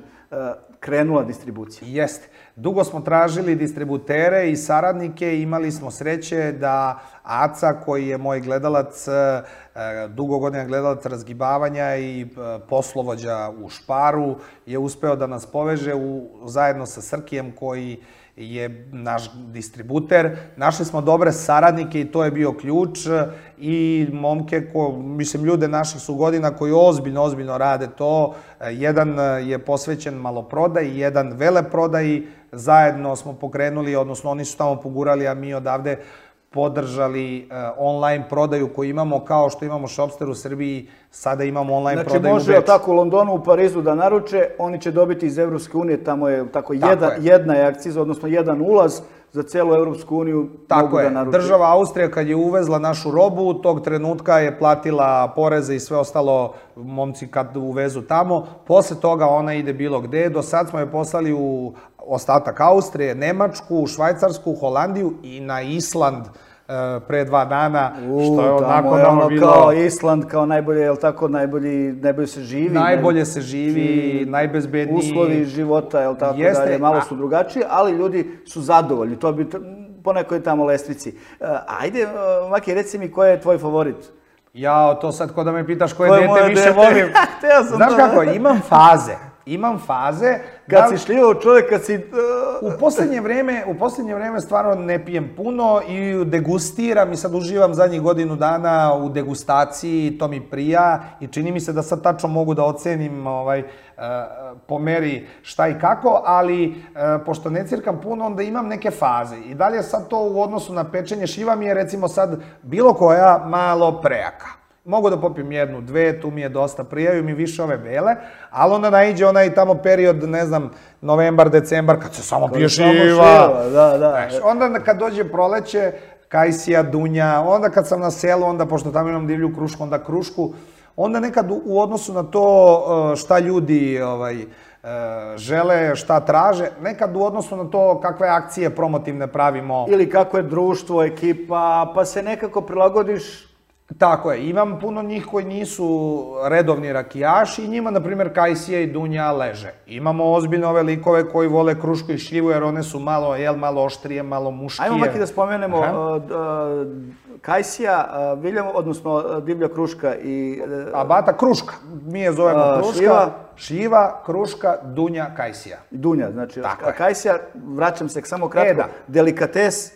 krenula distribucija. Jeste. Dugo smo tražili distributere i saradnike, imali smo sreće da Aca, koji je moj gledalac, dugo godina gledalac razgibavanja i poslovođa u Šparu, je uspeo da nas poveže zajedno sa Srkijem, koji je naš distributer. Našli smo dobre saradnike i to je bio ključ i momke, mislim, ljude naših su godina koji ozbiljno, ozbiljno rade to. Jedan je posvećen maloprodaji, jedan veleprodaji. Zajedno smo pokrenuli, odnosno oni su tamo pogurali, a mi odavde podržali online prodaju koju imamo, kao što imamo Shopster u Srbiji, sada imamo online prodaju u Beču. Znači može tako u Londonu, u Parizu da naruče, oni će dobiti iz Evropske unije, tamo je tako jedna je akciza, odnosno jedan ulaz za celu Evropsku uniju mogu da naruče. Tako je, država Austrija kad je uvezla našu robu, tog trenutka je platila poreze i sve ostalo momci kad uvezu tamo, posle toga ona ide bilo gde, do sad smo je poslali u ostatak Austrije, Nemačku, Švajcarsku, Holandiju i na Island pre dva dana, što je onako nama bilo... Kao Island, kao najbolje, je li tako, najbolje se živi? Najbolje se živi, najbezbedniji... Uslovi života, je li tako dalje, malo su drugačiji, ali ljudi su zadovoljni, to bi po nekoj tamo lestvici. Ajde, Maki, reci mi ko je tvoj favorit? Jao, to sad ko da me pitaš koje dete više volim. Znaš kako, imam faze. Imam faze... Kad si šljivao čovjek, kad si... U poslednje vreme, u poslednje vreme stvarno ne pijem puno i degustiram i sad uživam zadnjih godinu dana u degustaciji, to mi prija i čini mi se da sad tačno mogu da ocenim po meri šta i kako, ali pošto ne cirkam puno, onda imam neke faze. I dalje sad to u odnosu na pečenje šljiva mi je recimo sad bilo koja malo prejaka. Mogu da popijem jednu, dve, tu mi je dosta, prijaju mi više ove bele, ali onda naiđe onaj tamo period, ne znam, novembar, decembar, kad se samo pije šljiva. Onda kad dođe proleće, kajsija, dunja, onda kad sam na selu, onda pošto tamo imam divlju krušku, onda krušku, onda nekad u odnosu na to šta ljudi žele, šta traže, nekad u odnosu na to kakve akcije promotivne pravimo. Ili kako je društvo, ekipa, pa se nekako prilagodiš. Tako je, imam puno njih koji nisu redovni rakijaši i njima, na primjer, kajsija i dunja leže. Imamo ozbiljno ove likove koji vole krušku i šljivu jer one su malo, jel, malo oštrije, malo muškije. Ajmo Maki da spomenemo kajsija, odnosno divlja kruška i... Abata, kruška. Mi je zovemo kruška. Šljiva, kruška, dunja, kajsija. Dunja, znači, kajsija, vraćam se samo kratko, delikates,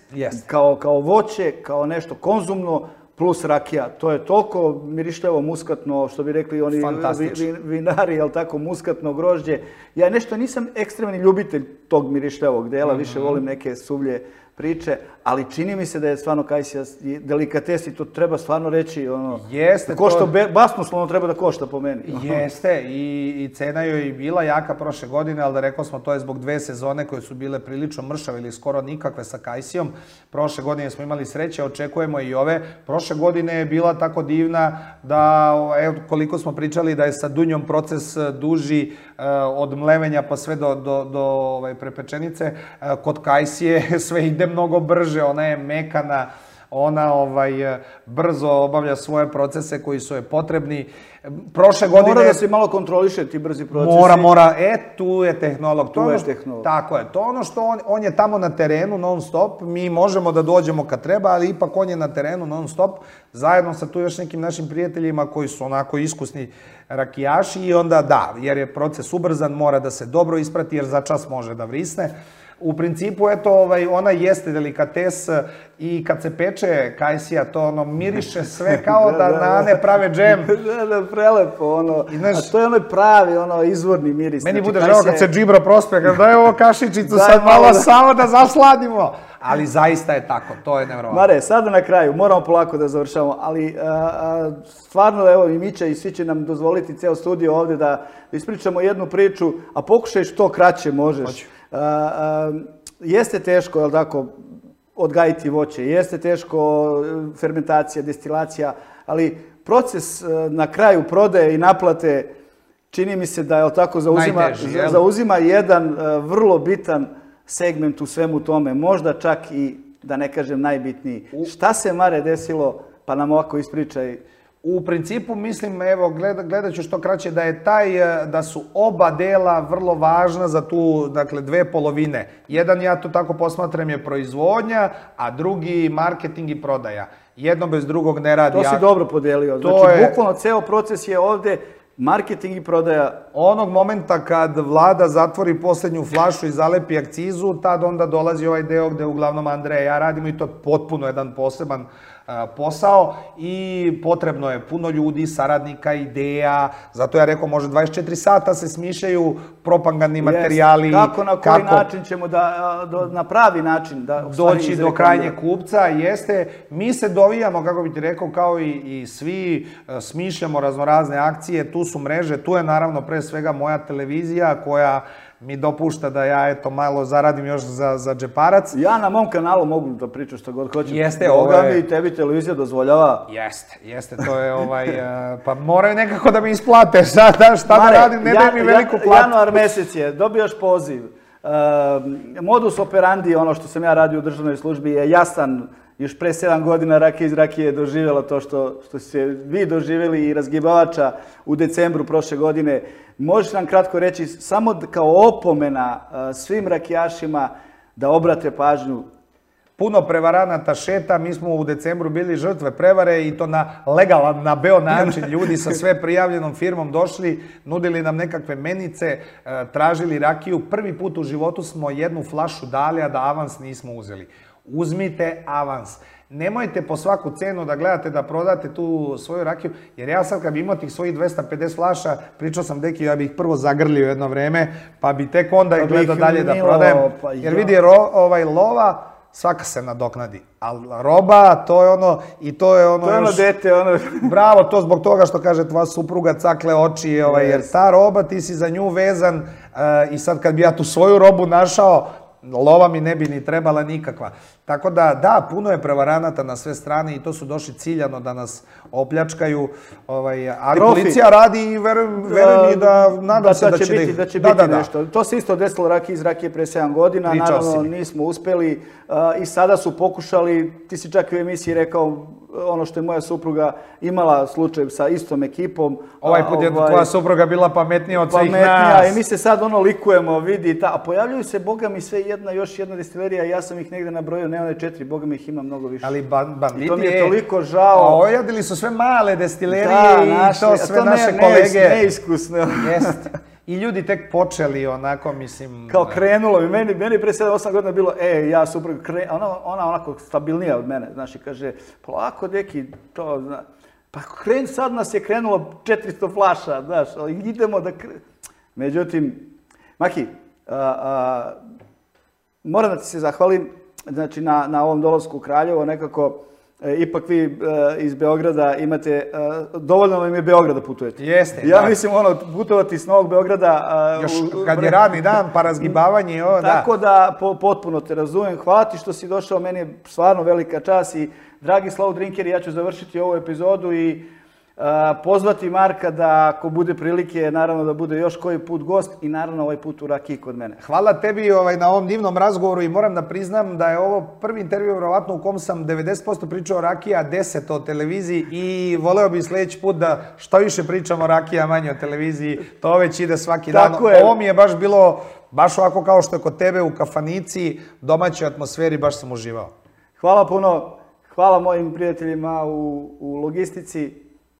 kao voće, kao nešto konzumno, plus rakija. To je toliko mirišljavo, muskatno, što bi rekli oni vi, vi, vinari, jel tako, muskatno grožđe. Ja nešto nisam ekstremni ljubitelj tog mirišljavog dela, mm-hmm. više volim neke suvlje priče, ali čini mi se da je stvarno kajsija delikates i to treba stvarno reći. Ono, Jeste. Košta to... basnoslovno treba da košta po meni. Jeste i, i cena joj je bila jaka prošle godine, ali da rekao smo to je zbog dve sezone koje su bile prilično mršave ili skoro nikakve sa kajsijom. Prošle godine smo imali sreće, očekujemo i ove. Prošle godine je bila tako divna da, evo koliko smo pričali da je sa dunjom proces duži od mlevenja pa sve do, do, do ovaj, prepečenice. Kod kajsije sve ide mnogo brže, ona je mekana, ona ovaj, brzo obavlja svoje procese koji su je potrebni. Prošle godine... Mora da se malo kontroliše ti brzi procesi. Mora, mora. E, tu je tehnolog. Tu je tehnolog. Tako je. To ono što on, on je tamo na terenu non stop. Mi možemo da dođemo kad treba, ali ipak on je na terenu non stop. Zajedno sa tu još nekim našim prijateljima koji su onako iskusni rakijaši i onda da, jer je proces ubrzan, mora da se dobro isprati jer za čas može da vrisne. U principu, eto, ovaj, ona jeste delikates i kad se peče kajsija, to ono miriše sve kao da, da, da Nane prave džem. Da, da, prelepo, ono. I, znaš, a to je onaj pravi, ono, izvorni miris. Meni znači, bude žao kad se džibro prospe, kad daj ovo kašičicu sad malo da... samo da zasladimo. Ali zaista je tako, to je nevjerovatno. Mare, sada na kraju, moramo polako da završamo, ali a, a, stvarno, evo, i Mića i svi će nam dozvoliti ceo studio ovde da ispričamo jednu priču, a pokušaj što kraće možeš. Hoću. A, a, jeste teško, je li tako, odgajiti voće, jeste teško fermentacija, destilacija, ali proces na kraju prodaje i naplate čini mi se da, je li tako, zauzima, Najteži, jel? zauzima jedan vrlo bitan segment u svemu tome, možda čak i, da ne kažem, najbitniji. Šta se, Mare, desilo, pa nam ovako ispričaj. U principu, mislim, evo, gled, gledat ću što kraće, da je taj, da su oba dela vrlo važna za tu, dakle, dve polovine. Jedan, ja to tako posmatram, je proizvodnja, a drugi marketing i prodaja. Jedno bez drugog ne radi. To si dobro podelio. Znači, je... bukvalno, ceo proces je ovde marketing i prodaja. Onog momenta kad vlada zatvori posljednju flašu i zalepi akcizu, tad onda dolazi ovaj deo gde uglavnom Andreja i ja radimo i to je potpuno jedan poseban posao i potrebno je puno ljudi, saradnika, ideja, zato ja rekao može dvadeset četiri sata se smišljaju propagandni materijali. Kako, na koji kako način ćemo da, do, na pravi način da doći do krajnjeg kupca, jeste, mi se dovijamo, kako bi ti rekao, kao i, i svi smišljamo raznorazne akcije, tu su mreže, tu je naravno pre svega moja televizija koja mi dopušta da ja, eto, malo zaradim još za, za džeparac. Ja na mom kanalu mogu da pričam što god hoćem. Jeste, ovo je... mi i tebi televizija dozvoljava. Jeste, jeste, to je ovaj... pa moraju nekako da mi isplate, šta, da, šta Mare, da radim, ne daj mi veliku platu. Januar mesec je, dobijaš poziv. Uh, modus operandi, ono što sam ja radio u državnoj službi, je jasan. Još pre sedam godina Rakija iz Rakije je doživjela to što, što ste vi doživjeli i razgibavača u decembru prošle godine. Možeš nam kratko reći, samo kao opomena svim rakijašima da obrate pažnju? Puno prevaranata šeta, mi smo u decembru bili žrtve prevare i to na legalan, na beo način. Ljudi sa sve prijavljenom firmom došli, nudili nam nekakve menice, tražili rakiju. Prvi put u životu smo jednu flašu dali, a da avans nismo uzeli. Uzmite avans. Nemojte po svaku cenu da gledate da prodate tu svoju rakiju, jer ja sad kad bi imao tih svojih dvesta pedeset flaša, pričao sam deki, ja bih ih prvo zagrlio jedno vreme, pa bi tek onda pa gledao dalje da prodajem. Pa jer ja. vidi, ro, ovaj, lova, svaka se nadoknadi. Ali roba, to je ono, i to je ono... To je ono još, dete, ono... Bravo, to zbog toga što kaže tvoja supruga cakle oči, ovaj, yes. jer ta roba, ti si za nju vezan uh, i sad kad bi ja tu svoju robu našao, lova mi ne bi ni trebala nikakva. Tako da, da, puno je prevaranata na sve strane i to su došli ciljano da nas opljačkaju. Ovaj, ali Profi. policija radi i verujem, verujem i da nadam da, se da, da će, biti, da će biti da, da, nešto. Da. To se isto desilo Rakiji iz Rakije pre sedam godina. Pričao Naravno, si. nismo uspeli uh, i sada su pokušali, ti si čak u emisiji rekao, ono što je moja supruga imala slučaj sa istom ekipom. Ovaj put je ovaj, tvoja supruga bila pametnija od svih nas. Pametnija i mi se sad ono likujemo, vidi, ta, a pojavljuju se, boga mi, sve jedna, još jedna destilerija, ja sam ih negde nabrojio, ne one četiri, boga mi ih ima mnogo više. Ali ban, banditi, I to mi je toliko žao. Ojadili su sve male destilerije da, i naši, to sve to naše ne, kolege. Neiskusno. Jeste. i ljudi tek počeli onako, mislim... Kao krenulo mi, meni, meni pre sedam osam godina bilo, e, ja suprug, kre... ona, ona onako stabilnija od mene, znaš, i kaže, polako, deki, to, zna, pa kren, sad nas je krenulo četiristo flaša, znaš, ali idemo da... Kre... Međutim, Maki, a, a, moram da ti se zahvalim, znači, na, na ovom dolasku u Kraljevo, nekako, E, ipak vi e, iz Beograda imate, e, dovoljno vam je Beograda putujete. Jeste, ja da. mislim, ono, putovati iz Novog Beograda... A, još u, kad je radni dan, pa razgibavanje, o, da. Tako da, po, potpuno te razumem. Hvala ti što si došao, meni je stvarno velika čast i dragi Slow Drinkeri, ja ću završiti ovu epizodu i a, pozvati Marka da, ako bude prilike, naravno da bude još koji put gost i naravno ovaj put u rakiji kod mene. Hvala tebi ovaj, na ovom divnom razgovoru i moram da priznam da je ovo prvi intervju vjerovatno u kom sam devedeset posto pričao o rakiji, a deset o televiziji i voleo bih sljedeći put da što više pričamo o rakiji, a manje o televiziji. To već ide svaki dan. Tako je. Ovo mi je baš bilo, baš ovako kao što je kod tebe u kafanici, domaćoj atmosferi, baš sam uživao. Hvala puno. Hvala mojim prijateljima u, u logistici.